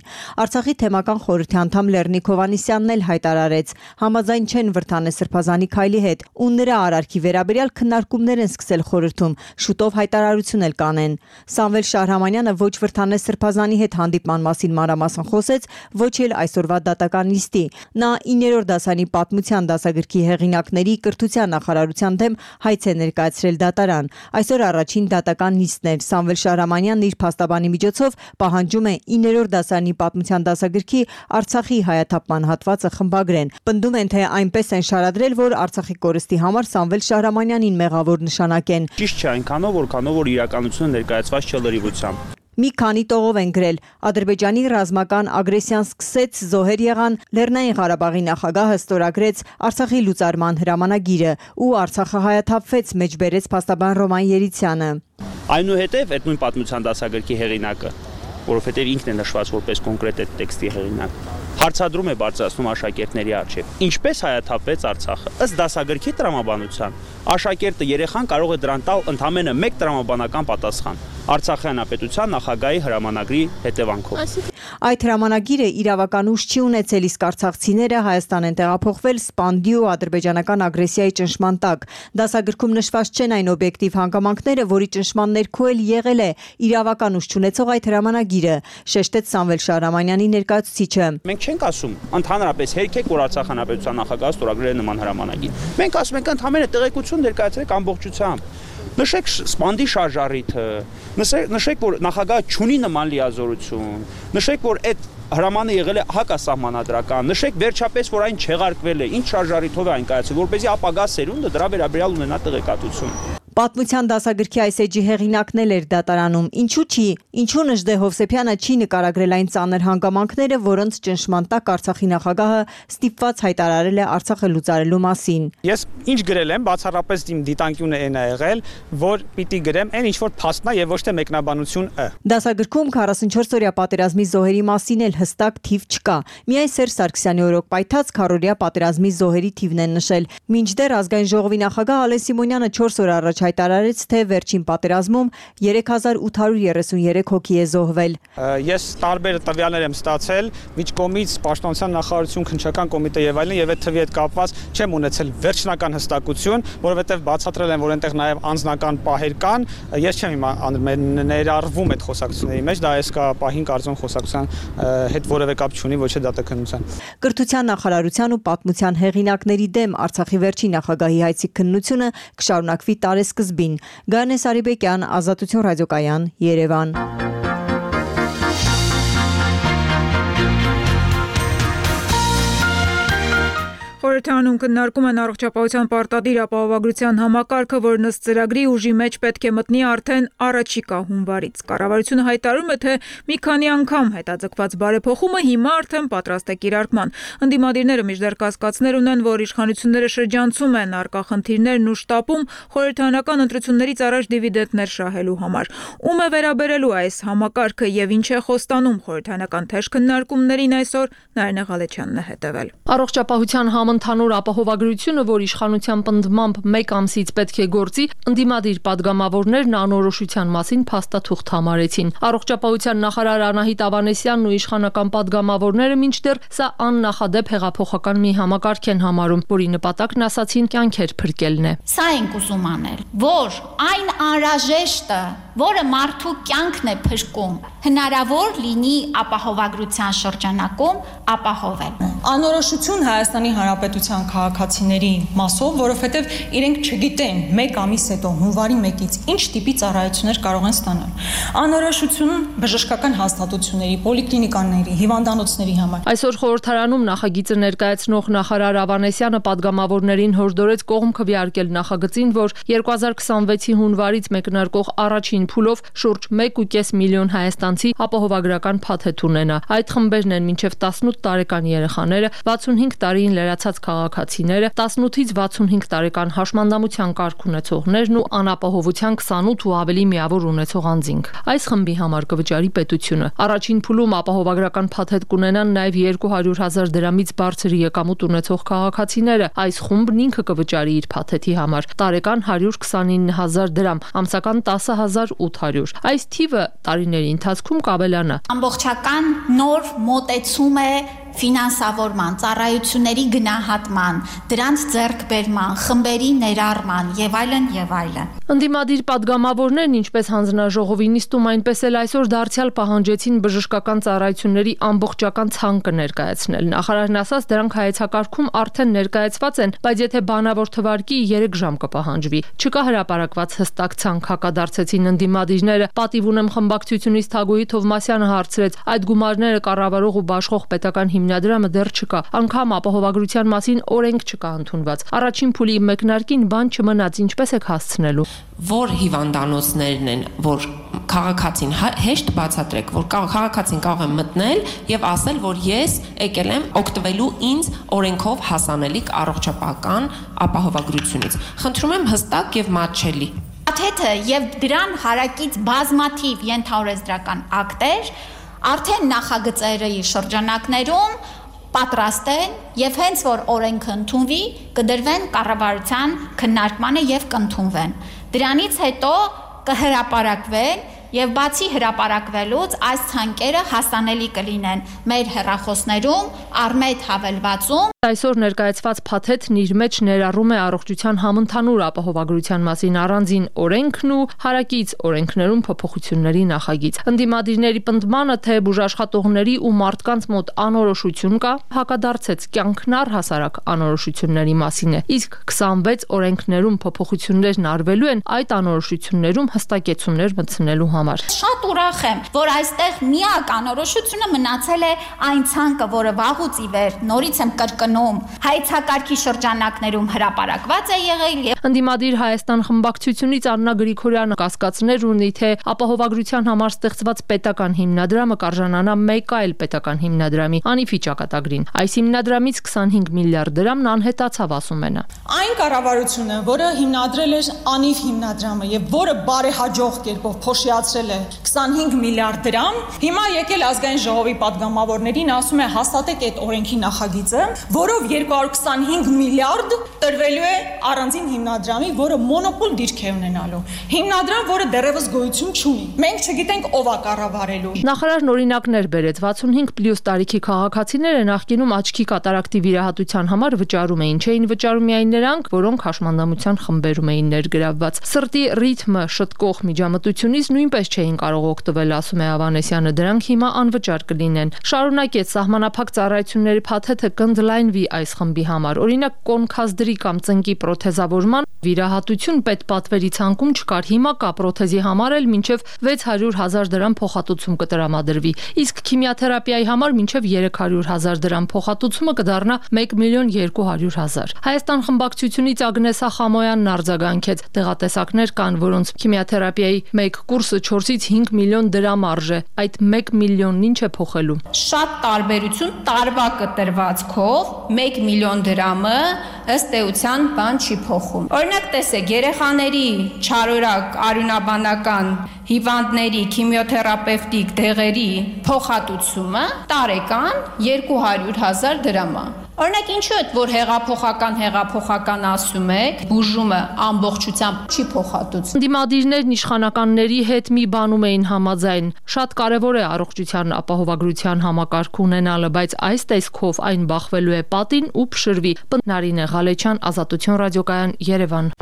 Արցախի թեմական խորհրդի անդամ Լեռնիկ Հովհաննիսյանն էլ հայտարարեց, համաձայն չեն Վրդանես Սրբազանի քայլի հետ ու նրա արարքի վերաբերյալ քննարկումներ են սկսել խորհրդում, շուտով հայտարարություն էլ կանեն։ Սամվել Շահրամանյանը ոչ Վրդանես Սրբազանի հետ հանդիպման մասին մանրամասն մասին խոսեց, ոչ էլ այսօրվա դատական նիստի։ Նա իններորդ դասարանի պատմության դասագրքի հեղինակների կրթության նախարարության դեմ հայց է ներկայացրել դատարան։ Այսօր առաջին դատական նիստն էր։ Սամվել Շահրամանյանն իր փաստաբանի միջոցով պահանջում է իններորդ դասարանի պատմության դասագրքի Արցախի հայաթափման հատվածը խմբագրեն։ Պնդում են, թե այնպես են շարադրել, որ Արցախի կորստի համար Սամվել Շահրամանյանին մեղավոր նշանակեն։ Ճիշտ չէ այնքանով, որքանով որ իրականությունը ներկայացված չէ լրիվությամբ։ Մի քանի տողով են գրել. Ադրբեջանի ռազմական ագրեսիան սկսեց, զոհեր եղան, Լեռնային Ղարաբաղի նախագահը ստորագրեց Արցախի լուծարման հրամանագիրը ու Արցախը հայաթափվեց, մեջբերեց փաստաբան Ռոման Երիցյանը։ Այնուհետև այդ նույն պատմության դասագրքի հեղինակը, որովհետև ինքն է նշված որպես կոնկրետ այդ տեքստի հեղինակ, հարցադրում է բարձրացնում աշակերտների առջև։ Ինչպես հայաթափվեց Արցախը։ Ըստ դասագրքի տրամաբանության, աշակերտը երեխան կարող է դրան տալ ընդամենը մեկ տրամաբանական պատասխան։ Արցախի հանրապետության նախագահի հրամանագրի հետևանքով։ Այդ հրամանագիրը իրավական ուժ չի ունեցել, իսկ արցախցիները Հայաստան են տեղափոխվել սպանդի ու ադրբեջանական ագրեսիայի ճնշման տակ։ Դասագրքում նշված չեն այն օբյեկտիվ հանգամանքները, որի ճնշման ներքո էլ եղել է իրավական ուժ չունեցող այդ հրամանագիրը, շեշտեց Սամվել Շահրամանյանի ներկայացուցիչը։ Մենք չենք ասում ընդհանրապես հերքեք, որ Արցախ հանրապետության նախագահը ստորագրել է նման հրամանագիր։ Մենք ասում ենք ընդհանրապես տեղեկություն ներկայացրեք ամբողջությամբ։ Նշեք սպանդի շարժառիթը, նշեք, որ նախագահը չունի նման լիազորություն, նշեք, որ այդ հրամանը եղել է հակասահմանադրական, նշեք վերջապես, որ այն չեղարկվել է, ինչ շարժառիթով է այն կայացել, որպեսզի ապագա սերունդը դրա վերաբերյալ ունենա տեղեկատվություն։ Պատմության դասագրքի այս էջի հեղինակն էլ էր դատարանում։ Ինչու՞ չի, ինչու Նժդե Հովսեփյանը չի նկարագրել այն ծանր հանգամանքները, որոնց ճնշման տակ Արցախի նախագահը ստիպված հայտարարել է Արցախը լուծարելու մասին։ Ես ինչ գրել եմ, բացառապես իմ դիտանկյունը այն է եղել, որ պիտի գրեմ այն ինչ որ փաստն է եւ ոչ թե մեկնաբանություն է։ Դասագրքում քառասունչորս-օրյա պատերազմի զոհերի մասին էլ հստակ թիվ չկա։ Միայն Սերժ Սարգսյանի օրոք պայթած քառօրյա պատերազմի զոհերի թիվն են նշել։ Մինչդեռ ազգային ժողովի նախագահ Ալեն Սիմոնյանը չորս օր առաջ հայտարարեց, թե վերջին պատերազմում երեք հազար ութ հարյուր երեսունյուրեք հոգի է զոհվել։ Ես տարբեր տվյալներ եմ ստացել միջկողմից պաշտպանության նախարարություն, քննչական կոմիտե եւ այլն, եւ այդ թվի հետ կապված չեմ ունեցել վերջնական հստակություն, որովհետեւ բացատրել են, որ այնտեղ նաեւ անձնական պահեր կան։ Ես չեմ հիմա ներառվում այդ խոսակցությունների մեջ, դա այսքա պահին կարծում խոսակցության հետ որևէ կապ չունի, ոչ թե դատաքննության։ Կրթության նախարարության ու պատմության հեղինակների դեմ Արցախի վերջին նախագահի հայցի քննությունը կշարունակվի տարեսկզբին։ Գայանե Սարիբեկյան, Ազատություն ռադիոկայան, Երևան։ Խորհրդարանում քննարկում են առողջապահության պարտադիր ապահովագրության համակարգը, որն ըստ ծրագրի ուժի մեջ պետք է մտնի արդեն առաջիկա հունվարից։ Կառավարությունը հայտարարում է, թե մի քանի անգամ հետաձգված բարեփոխումը հիմա արդեն պատրաստ է կիրարկման։ Ընդդիմադիրները մինչդեռ կասկածներ ունեն, որ իշխանությունները շրջանցում են առկա խնդիրներն ու շտապում խորհրդարանական ընտրություններից առաջ դիվիդենտներ շահելու համար։ Ում է վերաբերելու այս համակարգը եւ ինչ է խոստանում խորհրդարանական թեժ քննարկումներին այսօր Նարինե Ղալեչյանն է հետևել։ Առողջապահության Ընդհանուր ապահովագրությունը, որ իշխանության պնդմամբ մեկ ամսից պետք է գործի, ընդդիմադիր падգամավորներն անորոշության մասին փաստաթուղթ համարեցին։ Առողջապահության նախարար Անահիտ Ավանեսյանն ու իշխանական падգամավորները մինչդեռ սա աննախադեպ հեղափոխական մի համակարգ են համարում, որի նպատակն ասացին կյանքեր փրկելն է։ Սա ենք ուզում անել, որ այն անհրաժեշտը, որը մարդու կյանքն է փրկում, հնարավոր լինի ապահովագրության շրջանակում ապահովել։ Անորոշություն Հայաստանի Հանրապետության քաղաքացիների մասով, որովհետև իրենք չգիտեն մեկ ամիս հետո հունվարի մեկից ինչ տիպի ծառայություններ կարող են ստանալ։ Անորոշություն բժշկական հաստատությունների, պոլիկլինիկաների, հիվանդանոցների համար։ Այսօր խորհրդարանում նախագիծը ներկայացնող նախարար Ավանեսյանը падգամավորներին հորդորեց կողմ քվեարկել նախագծին, որ երկու հազար քսանվեցի հունվարից մեկնարկող առաջին փուլով շուրջ մեկ ու կես միլիոն հայաստանցի ապահովագրական փաթեթ ունենա։ Այդ խմբերն են մինչև տասնութ տարեկան երեխաները, վաթսունհինգ տարին լրացած քաղաքացիները, տասնութից վաթսունհինգ տարեկան հաշմանդամության կարգ ունեցողներն ու անապահովության քսանութ ու ավելի միավոր ունեցող անձինք։ Այս խմբի համար կվճարի պետությունը։ Առաջին փուլում ապահովագրական փաթեթ կունենան նաև երկու հարյուր հազար դրամից բարձր եկամուտ ունեցող քաղաքացիները։ Այս խումբն ինքը կվճարի իր փաթեթի համար տարեկան հարյուր քսանինը հազար դրամ, ամսական տասը հազար ութ հարյուր։ Այս թիվը տարիների ընթացքում կավելանա։ Ամբողջական նոր մոտեցում է ֆինանսավորման, ծառայությունների գնահատման, դրանց ձեռքբերման, խմբերի ներառման եւ այլն եւ այլն։ Ընդդիմադիր падգամավորներն, ինչպես հանձնաժողովի նիստում, այնպես էլ այսօր դարձյալ պահանջեցին բժշկական ծառայությունների ամբողջական ցանկը ներկայացնել։ Նախարարն ասաց, դրանք հայեցակարգում արդեն ներկայացված են, բայց եթե բանավոր թվարկի երեք ժամ կպահանջվի։ Չկա հրապարակված հստակ ցանկ, հակադարձեցին ընդդիմադիրները։ Պատիվ ունեմ խմբակցությունից Թագուհի Թովմասյանը հարցրեց, այդ գումարները կառավարող ու բաշխող պետական հիմնադրամը դեռ չկա, անգամ ապահովագրության մասին օրենք չկա ընդունված։ Առաջին փուլի մեկնարկին բան չմնաց, ինչպես եք հասցնելու։ Որ հիվանդանոցներն են, որ քաղաքացին հեշտ բացատրեք, որ քաղաքացին կարող է մտնել եւ ասել, որ ես եկել եմ օգտվելու ինձ օրենքով հասանելիք առողջապահական ապահովագրությունից։ Խնդրում եմ հստակ եւ մատչելի։ Աթեթը եւ դրան հարակից բազմաթիվ ենթաօրենսդրական ակտեր արդեն նախագծերի շրջանակներում պատրաստ են եւ հենց որ օրենքը ընդունվի, կդրվեն կառավարության քննարկմանը եւ կընդունվեն։ Դրանից հետո կհրապարակվեն եւ բացի հրապարակվելուց այս ցանկերը հասանելի կլինեն մեր հեռախոսներում, առմետ հավելվածում։ Այսօր ներկայացված փաթեթն իր մեջ ներառում է առողջության համընդհանուր ապահովագրության մասին առանձին օրենքն ու հարակից օրենքներում փոփոխությունների նախագիծ։ Ընդդիմադիրների պնդմանը, թե բուժաշխատողների ու մարդկանց մոտ անորոշություն կա, հակադարձեց կյանքն առհասարակ անորոշությունների մասին է։ Իսկ քսանվեց օրենքներում փոփոխություններն արվելու են այդ անորոշություններում հստակեցումներ մտցնելու համար։ Շատ ուրախ եմ, որ այստեղ միակ անորոշությունը մնացել է այն ցանկը, որը վաղուց ի վեր նորից եմ կրկնում, հայեցակարգի շրջանակներում հրապարակված է եղել եւ Ընդդիմադիր Հայաստան խմբակցությունից Աննա Գրիգորյանը կասկածներ ունի, թե ապահովագրության համար ստեղծված պետական հիմնադրամը կարժանանա մեկ այլ պետական հիմնադրամի անիվի ճակատագրին։ Այս հիմնադրամից քսանհինգ միլիարդ դրամն անհետացավ, ասում է նա։ Այն կառավարությունը, որը հիմնադրել էր անիվ հիմնադրամը եւ որը բարեհաջող կերպով փոշիացրել է քսանհինգ միլիարդ դրամ, հիմա եկել ազգային ժողովի падգամավորներին ասում է հաստատեք այդ օրենքի նախագիծը, որով երկու հարյուր քսանհինգ միլիարդ տրվելու է առանձին հիմնադրամի, որը մոնոպոլ դիրք է ունենալու։ Հիմնադրամ, որը դեռևս գոյություն չունի։ Մենք չգիտենք ով է կառավարելու։ Նախարարն օրինակներ բերեց վաթսունհինգ պլյուս տարիքի քաղաքացիները նախկինում աչքի կատարակտի վիրահատության համար վճարում էին, չէին վճարում միայն նրանք, որոնք հաշմանդամության խմբերում էին ներգրավված։ Սրտի ռիթմը շտկող միջամտությունից նույնպես չէին կարող օգտվել, ասում է Ավանեսյանը, դրանք հիմա անվճար կլինեն։ Շարունակեց սահմանափակ ծառայությունների փաթեթը կընդլայնվի այս խմբի համար։ Օրինակ կոնքազդրի կամ ծնկի պրոթեզավորման վիրահատություն պետպատվերի ցանկում չկար, հիմա կա պրոթեզի համար էլ մինչև վեց հարյուր հազար դրամ փոխհատուցում կտրամադրվի, իսկ քիմիաթերապիայի համար մինչև երեք հարյուր հազար դրամ փոխհատուցումը կդառնա մեկ միլիոն երկու հարյուր հազար։ Հայաստան խմբակցությունից Ագնեսա Խամոյանն արձագանքեց, տեղատեսակներ կան, որոնց քիմիաթերապիայի մեկ կուրսը չորսից հինգ միլիոն դրամ արժե, այդ մեկ միլիոնն ինչ է փոխելու։ Շատ տարբերություն տարվա կտրվածքով մեկ միլիոն դրամը ըստ էության բան չի փոխում։ Օրինակ տեսեք, երեխաների չարորակ արյունաբանական հիվանդների քիմիոթերապևտիկ դեղերի փոխհատուցումը տարեկան երկու հարյուր հազար դրամ է։ Օրինակ ինչու է, որ հեղափոխական հեղափոխական ասում եք, բուժումը ամբողջությամբ չի փոխհատուցվում։ Ընդդիմադիրներն իշխանականների հետ մի բանում էին համաձայն։ Շատ կարևոր է առողջության ապահովագրության համակարգ ունենալը, բայց այս տեսքով այն բախվելու է պատին ու փշրվի։ Նարինե Ղալեչյան, Ազատություն ռադիոկայան, Երևան։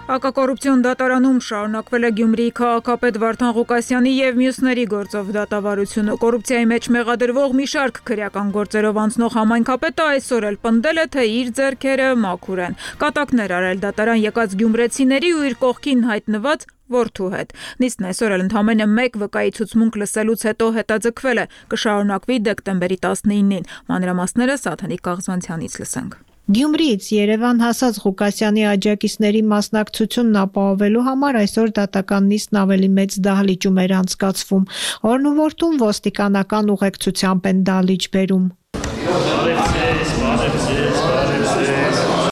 Հակակոռուպցիոն դատարանում շարունակվել է Գյումրիի քաղաքապետ Վարդան Ղուկասյանի եւ մյուսների գործով դատավարությունը։ Կոռուպցիայի մեջ մեղադրվող մի շարք քրեական գործերով անցնող համայնքապետը այսօր էլ պնդել է, թե իր ձեռքերը մաքուր են։ Կատակներ արել դատարան եկած գյումրեցիների ու իր կողքին հայտնված որդու հետ։ Նիստն այսօր էլ ընդամենը մեկ վկայի ցուցմունք լսելուց հետո հետաձգվել է, կշարունակվի դեկտեմբերի տասնինին։ Մանրամասները Սաթանիկ Կաղզանցյանից լսենք։ Գյումրիից Երևան հասած Ղուկասյանի աջակիցների մասնակցությունն ապահովելու համար այսօր դատական նիստն ավելի մեծ դահլիճում էր անցկացվում։ Օրն ու որդուն ոստիկանական ուղեկցությամբ են դահլիճ բերում։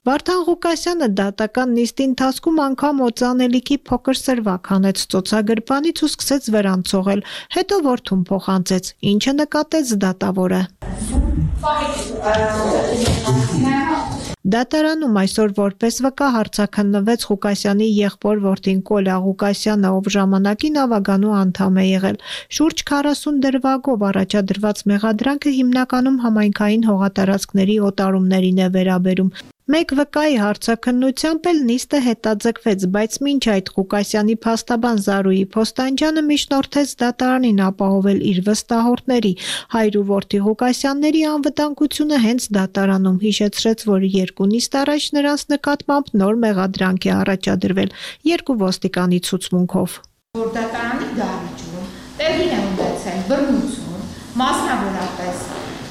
Վարդան Ղուկասյանը դատական նիստի ընթացքում անգամ օծանելիքի փոքր սրվակ հանեց ծոցագրպանից ու սկսեց վրան ցողել, հետո որդուն փոխանցեց, ինչը նկատեց դատավորը։ Դատարանում այսօր որպես վկա հարցաքննվեց Ղուկասյանի եղբոր որդին Կոլա Ղուկասյանը, ով ժամանակին ավագանու անդամ է եղել։ Շուրջ քառասուն դրվագով առաջադրված մեղադրանքը հիմնականում համայնքային հողատարածքների օտարումներին է վերաբերում։ Մեկ վկայի հարցաքննությամբ էլ նիստը հետաձգվեց, բայց մինչ այդ Ղուկասյանի փաստաբան Զարուհի Փոստանջյանը միջնորդեց դատարանին ապահովել իր վստահորդների հայր ու որդի Ղուկասյանների անվտանգությունը հենց դատարանում, հիշեցրեց, որ երկու նիստ առաջ նրանց նկատմամբ նոր մեղադրանք է առաջադրվել երկու ոստիկանի ցուցմունքով։ Որ դատարանի դահլիճում տեղի է ունեցել բռնություն, մասնավորապես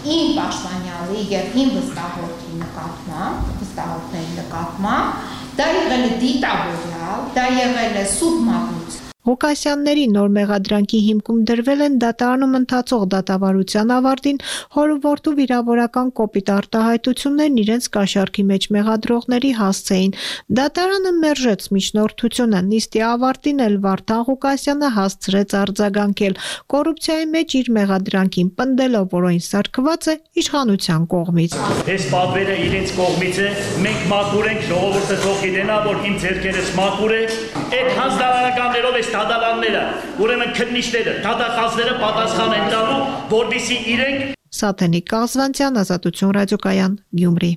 իմ պաշտպանյալի եւ իմ վստահորդի նկատմամբ, վստահորդների նկատմամբ, դա եղել է դիտավորյալ, դա եղել է սուբմատություն։ Ղուկասյանների նոր մեղադրանքի հիմքում դրվել են դատարանում ընթացող դատավարության ավարտին հորուորդու վիրավորական կոպիտ արտահայտություններն իրենց կաշառքի մեջ մեղադրողների հասցեին։ Դատարանը մերժեց միջնորդությունը, նիստի ավարտին էլ Վարդան Ղուկասյանը հասցրեց արձագանքել կոռուպցիայի մեջ իր մեղադրանքին, պնդելով, որ այն սարքված է իշխանության կողմից։ Այս պատվերը իրենց կողմից է, մենք մաքուր ենք, ժողովուրդը թող գիտենա, որ իմ ձեռքերս մաքուր է, այդ հանձնարարականներով այս դատարանները, ուրեմն քննիչները, դատախազները պատասխան են տալու, որպեսզի իրենք Սաթենիկ Կազվանցյան, Ազատություն ռադիոկայան, Գյումրի։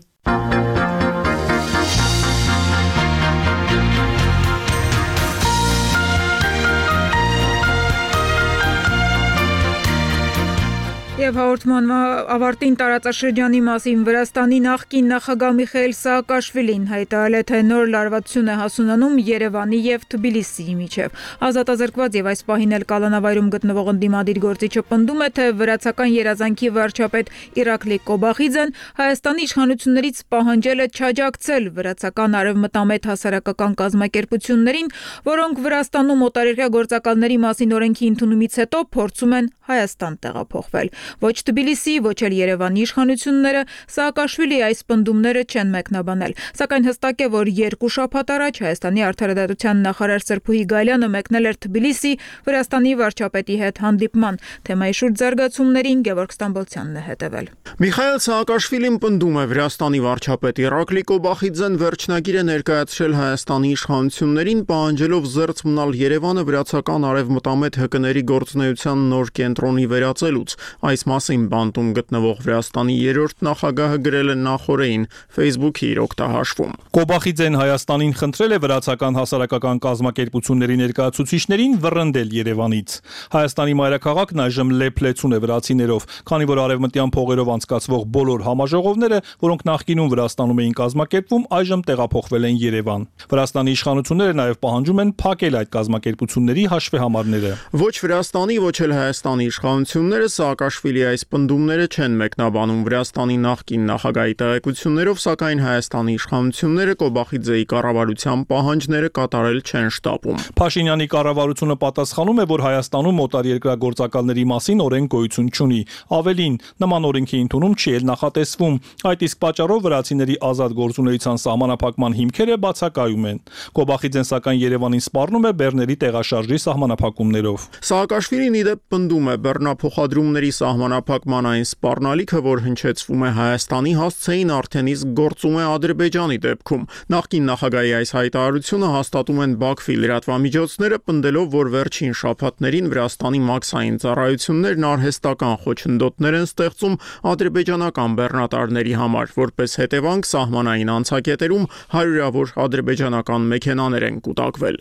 Եվ հաղորդման ավարտին տարածաշրջանի մասին Վրաստանի նախկին նախագահ Միխայիլ Սաակաշվիլին հայտարարել է, թե նոր լարվածություն է հասունանում Երևանի եւ Թբիլիսիի միջև։ Ազատազրկված եւ այս պահին էլ կալանավայրում գտնվող ընդդիմադիր գործիչը պնդում է, թե վրացական երազանքի վարչապետ Իրակլի Կոբախիձեն Հայաստանի իշխանություններից պահանջել է չաջակցել վրացական արևմտամետ հասարակական կազմակերպություններին, որոնք Վրաստանում օտարերկրյա գործակալների մասին օրենքի ընդունումից հետո փորձում են Հայաստան տեղափոխվել։ Ոչ Թբիլիսի, ոչ էլ Երևանի իշխանությունները Սաակաշվիլի այս պնդումները չեն մեկնաբանել, սակայն հստակ է, որ երկու շաբաթ առաջ Հայաստանի արդարադատության նախարար Սրփուհի Գալյանը մեկնել էր Թբիլիսի Վրաստանի վարչապետի հետ հանդիպման, թեմայի շուրջ զարգացումներին Գևորգ Ստամբոլցյանն է հետևել։ Միխայիլ Սաակաշվիլին պնդում է, Վրաստանի վարչապետ Իրակլի Կոբախիձեն վերջնագիր է ներկայացրել Հայաստանի իշխանություններին, պահանջելով զերծ մնալ Երևանը վրացական արևմտամետ ՀԿ-ների գործունեության նոր կենտրոնի վերածելուց։ Այս մասին բանտում գտնվող Վրաստանի երրորդ նախագահը գրել է նախորդին Facebook-ի իր օգտահաշվում։ Կոբախիձեն Հայաստանին խնդրել է վրացական հասարակական կազմակերպությունների ներկայացուցիչներին վռնդել Երևանից։ Հայաստանի մայրաքաղաքն այժմ լեփլեցուն է վրացիներով, քանի որ արևմտյան փողերով անցկացվող բոլոր համաժողովները, որոնք նախկինում Վրաստանում էին կազմակերպվում, այժմ տեղափոխվել են Երևան։ Վրաստանի իշխանությունները նաև պահանջում են փակել այդ կազմակերպությունների հաշվեհամարները։ Ոչ Վրաստանի, ոչ էլ Հայաստանի իշխանությունները Սաակաշվիլի այս պնդումները չեն մեկնաբանում Վրաստանի նախկին նախագահի տեղեկություններով, սակայն Հայաստանի իշխանությունները Կոբախիձեի կառավարության պահանջները կատարել չեն շտապում։ Փաշինյանի կառավարությունը պատասխանում է, որ Հայաստանում օտարերկրյա գործակալների մասին օրենք գոյություն չունի։ Ավելին, նման օրենքի ընդունում չի էլ նախատեսվում։ Այդ իսկ պատճառով վրացիների ազատ գործունեության սահմանափակման հիմքերը բացակայում են։ Կոբախիձեն սակայն Երևանին սպառնում է բեռների տեղաշարժի սահմանափակումներով։ Սաակաշվիլին ի դեպ պնդում է բեռնափոխադրումների սահմանափակման այն սպառնալիքը, որ հնչեցվում է Հայաստանի, հասցեին արդեն իսկ գործում է Ադրբեջանի դեպքում։ Նախկին նախագահի այս հայտարարությունը հաստատում են Բաքվի լրատվամիջոցները, պնդելով, որ վերջին շաբաթներին Վրաստանի մաքսային ծառայություններն արհեստական խոչընդոտներ են ստեղծում ադրբեջանական բեռնատարների համար, որպես հետևանք սահմանային անցակետերում հարյուրավոր ադրբեջանական մեքենաներ են կուտակվել։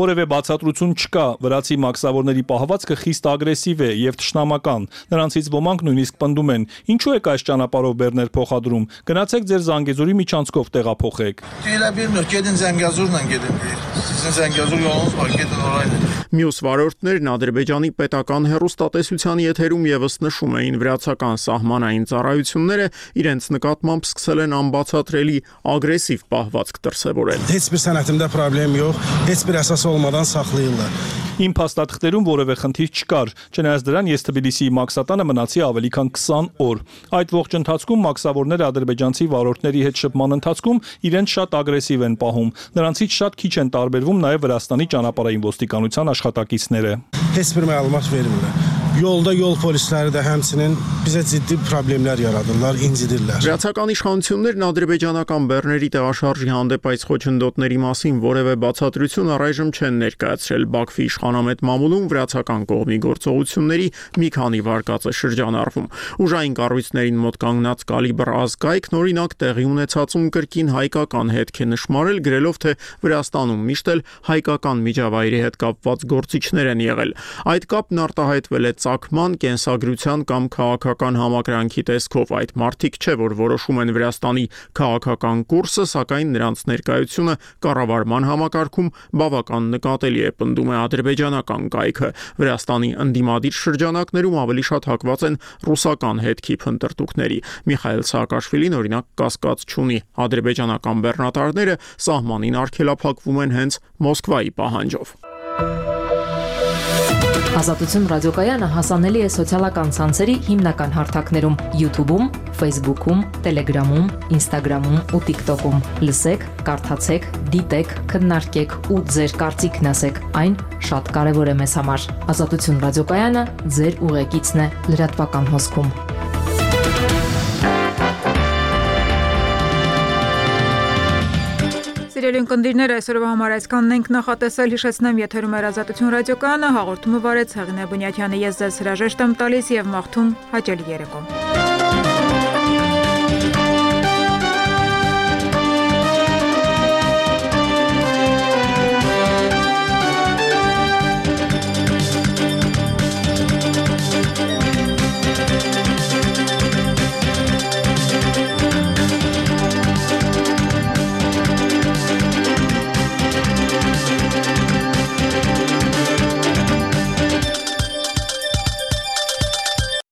Որևէ բացատրություն չկա, վրացի մաքսավորների պահվածքը խիստ ագրեսիվ է եւ թշնամական։ Նրանցից ոմանք նույնիսկ պնդում են. ինչու եք այս ճանապարհով բեռներ փոխադրում, գնացեք ձեր Զանգեզուրի միջանցքով տեղափոխեք։ Մյուս վարորդներն Ադրբեջանի պետական հեռուստատեսության եթերում եւս նշում էին վրացական սահմանային ծառայությունները իրենց նկատմամբ սկսել են անբացատրելի ագրեսիվ պահվածք դրսևորել։ Heç bir sənətimdə problem yox, heç bir əsas olmadan saxlayırlar։ Իմ փաստաթղթերում որևէ խնդիր չկար, չնայած դրան ես Թբիլիսիի մաքսատանը մնացի ավելի քան քսան օր։ Այդ ողջ ընթացքում մաքսավորները ադրբեջանցի վարորդների հետ շփման ընթացքում իրենց շատ ագրեսիվ են պահում։ Նրանցից շատ քիչ են տարբերվում նաև Վրաստանի ճանապարհային ոստիկանության աշխատակիցները։ Heç bir məlumat vermirlər։ Yolda yol polisləri də həmçinin bizə ciddi problemlər yaradırlar, incidirlər. Վրացական իշխանություններն ադրբեջանական բեռների տեղաշարժի հանդեպ այս խոչընդոտների մասին որևէ բացատրություն առայժմ չեն ներկայացրել։ Բաքվի իշխանամետ մամուլում վրացական կողմի գործողությունների մի քանի վարկած է շրջանառվում։ Ուժային կառույցներին մոտ կանգնած կալիբր ազգայքն օրինակ տեղի ունեցածում կրկին հայկական հետք է նշмарել, գրելով թե Վրաստանում միշտ էլ հայկական միջավայրի հետ կապված գործիչներ են եղել։ Այդ կապն արտահայտվել է ծագման, կենսագրության կամ քաղաքական համակրանքի տեսքով։ Այդ մարդիկ չէ, որ որոշում են Վրաստանի քաղաքական կուրսը, սակայն նրանց ներկայությունը կառավարման համակարգում բավական նկատելի է, պնդում է ադրբեջանական կայքը։ Վրաստանի ընդդիմադիր շրջանակներում ավելի շատ հակված են ռուսական հետքի փնտրտուքների։ Միխայել Սաակաշվիլին օրինակ կասկած չունի։ Ադրբեջանական բեռնատարները սահմանին արգելափակվում են հենց Մոսկվայի պահանջով։ Ազատություն ռադիոկայանը հասանելի է սոցիալական ցանցերի հիմնական հարթակներում՝ YouTube-ում, Facebook-ում, Telegram-ում, Instagram-ում ու TikTok-ում։ Լսեք, կարդացեք, դիտեք, քննարկեք ու ձեր կարծիքն ասեք։ Այն շատ կարևոր է մեզ համար։ Ազատություն ռադիոկայանը ձեր ուղեկիցն է լրատվական հոսքում։ Սիրելի ունկնդիրներ, այսօրվա համար այսքանն ենք նախատեսել, հիշեցնեմ, եթերում էր Ազատություն ռադիոկայանը, հաղորդումը վարեց Հեղինե Բունյաթյանը, ես ձեզ հրաժեշտ եմ տալիս եւ մաղթում հաճելի երեկո։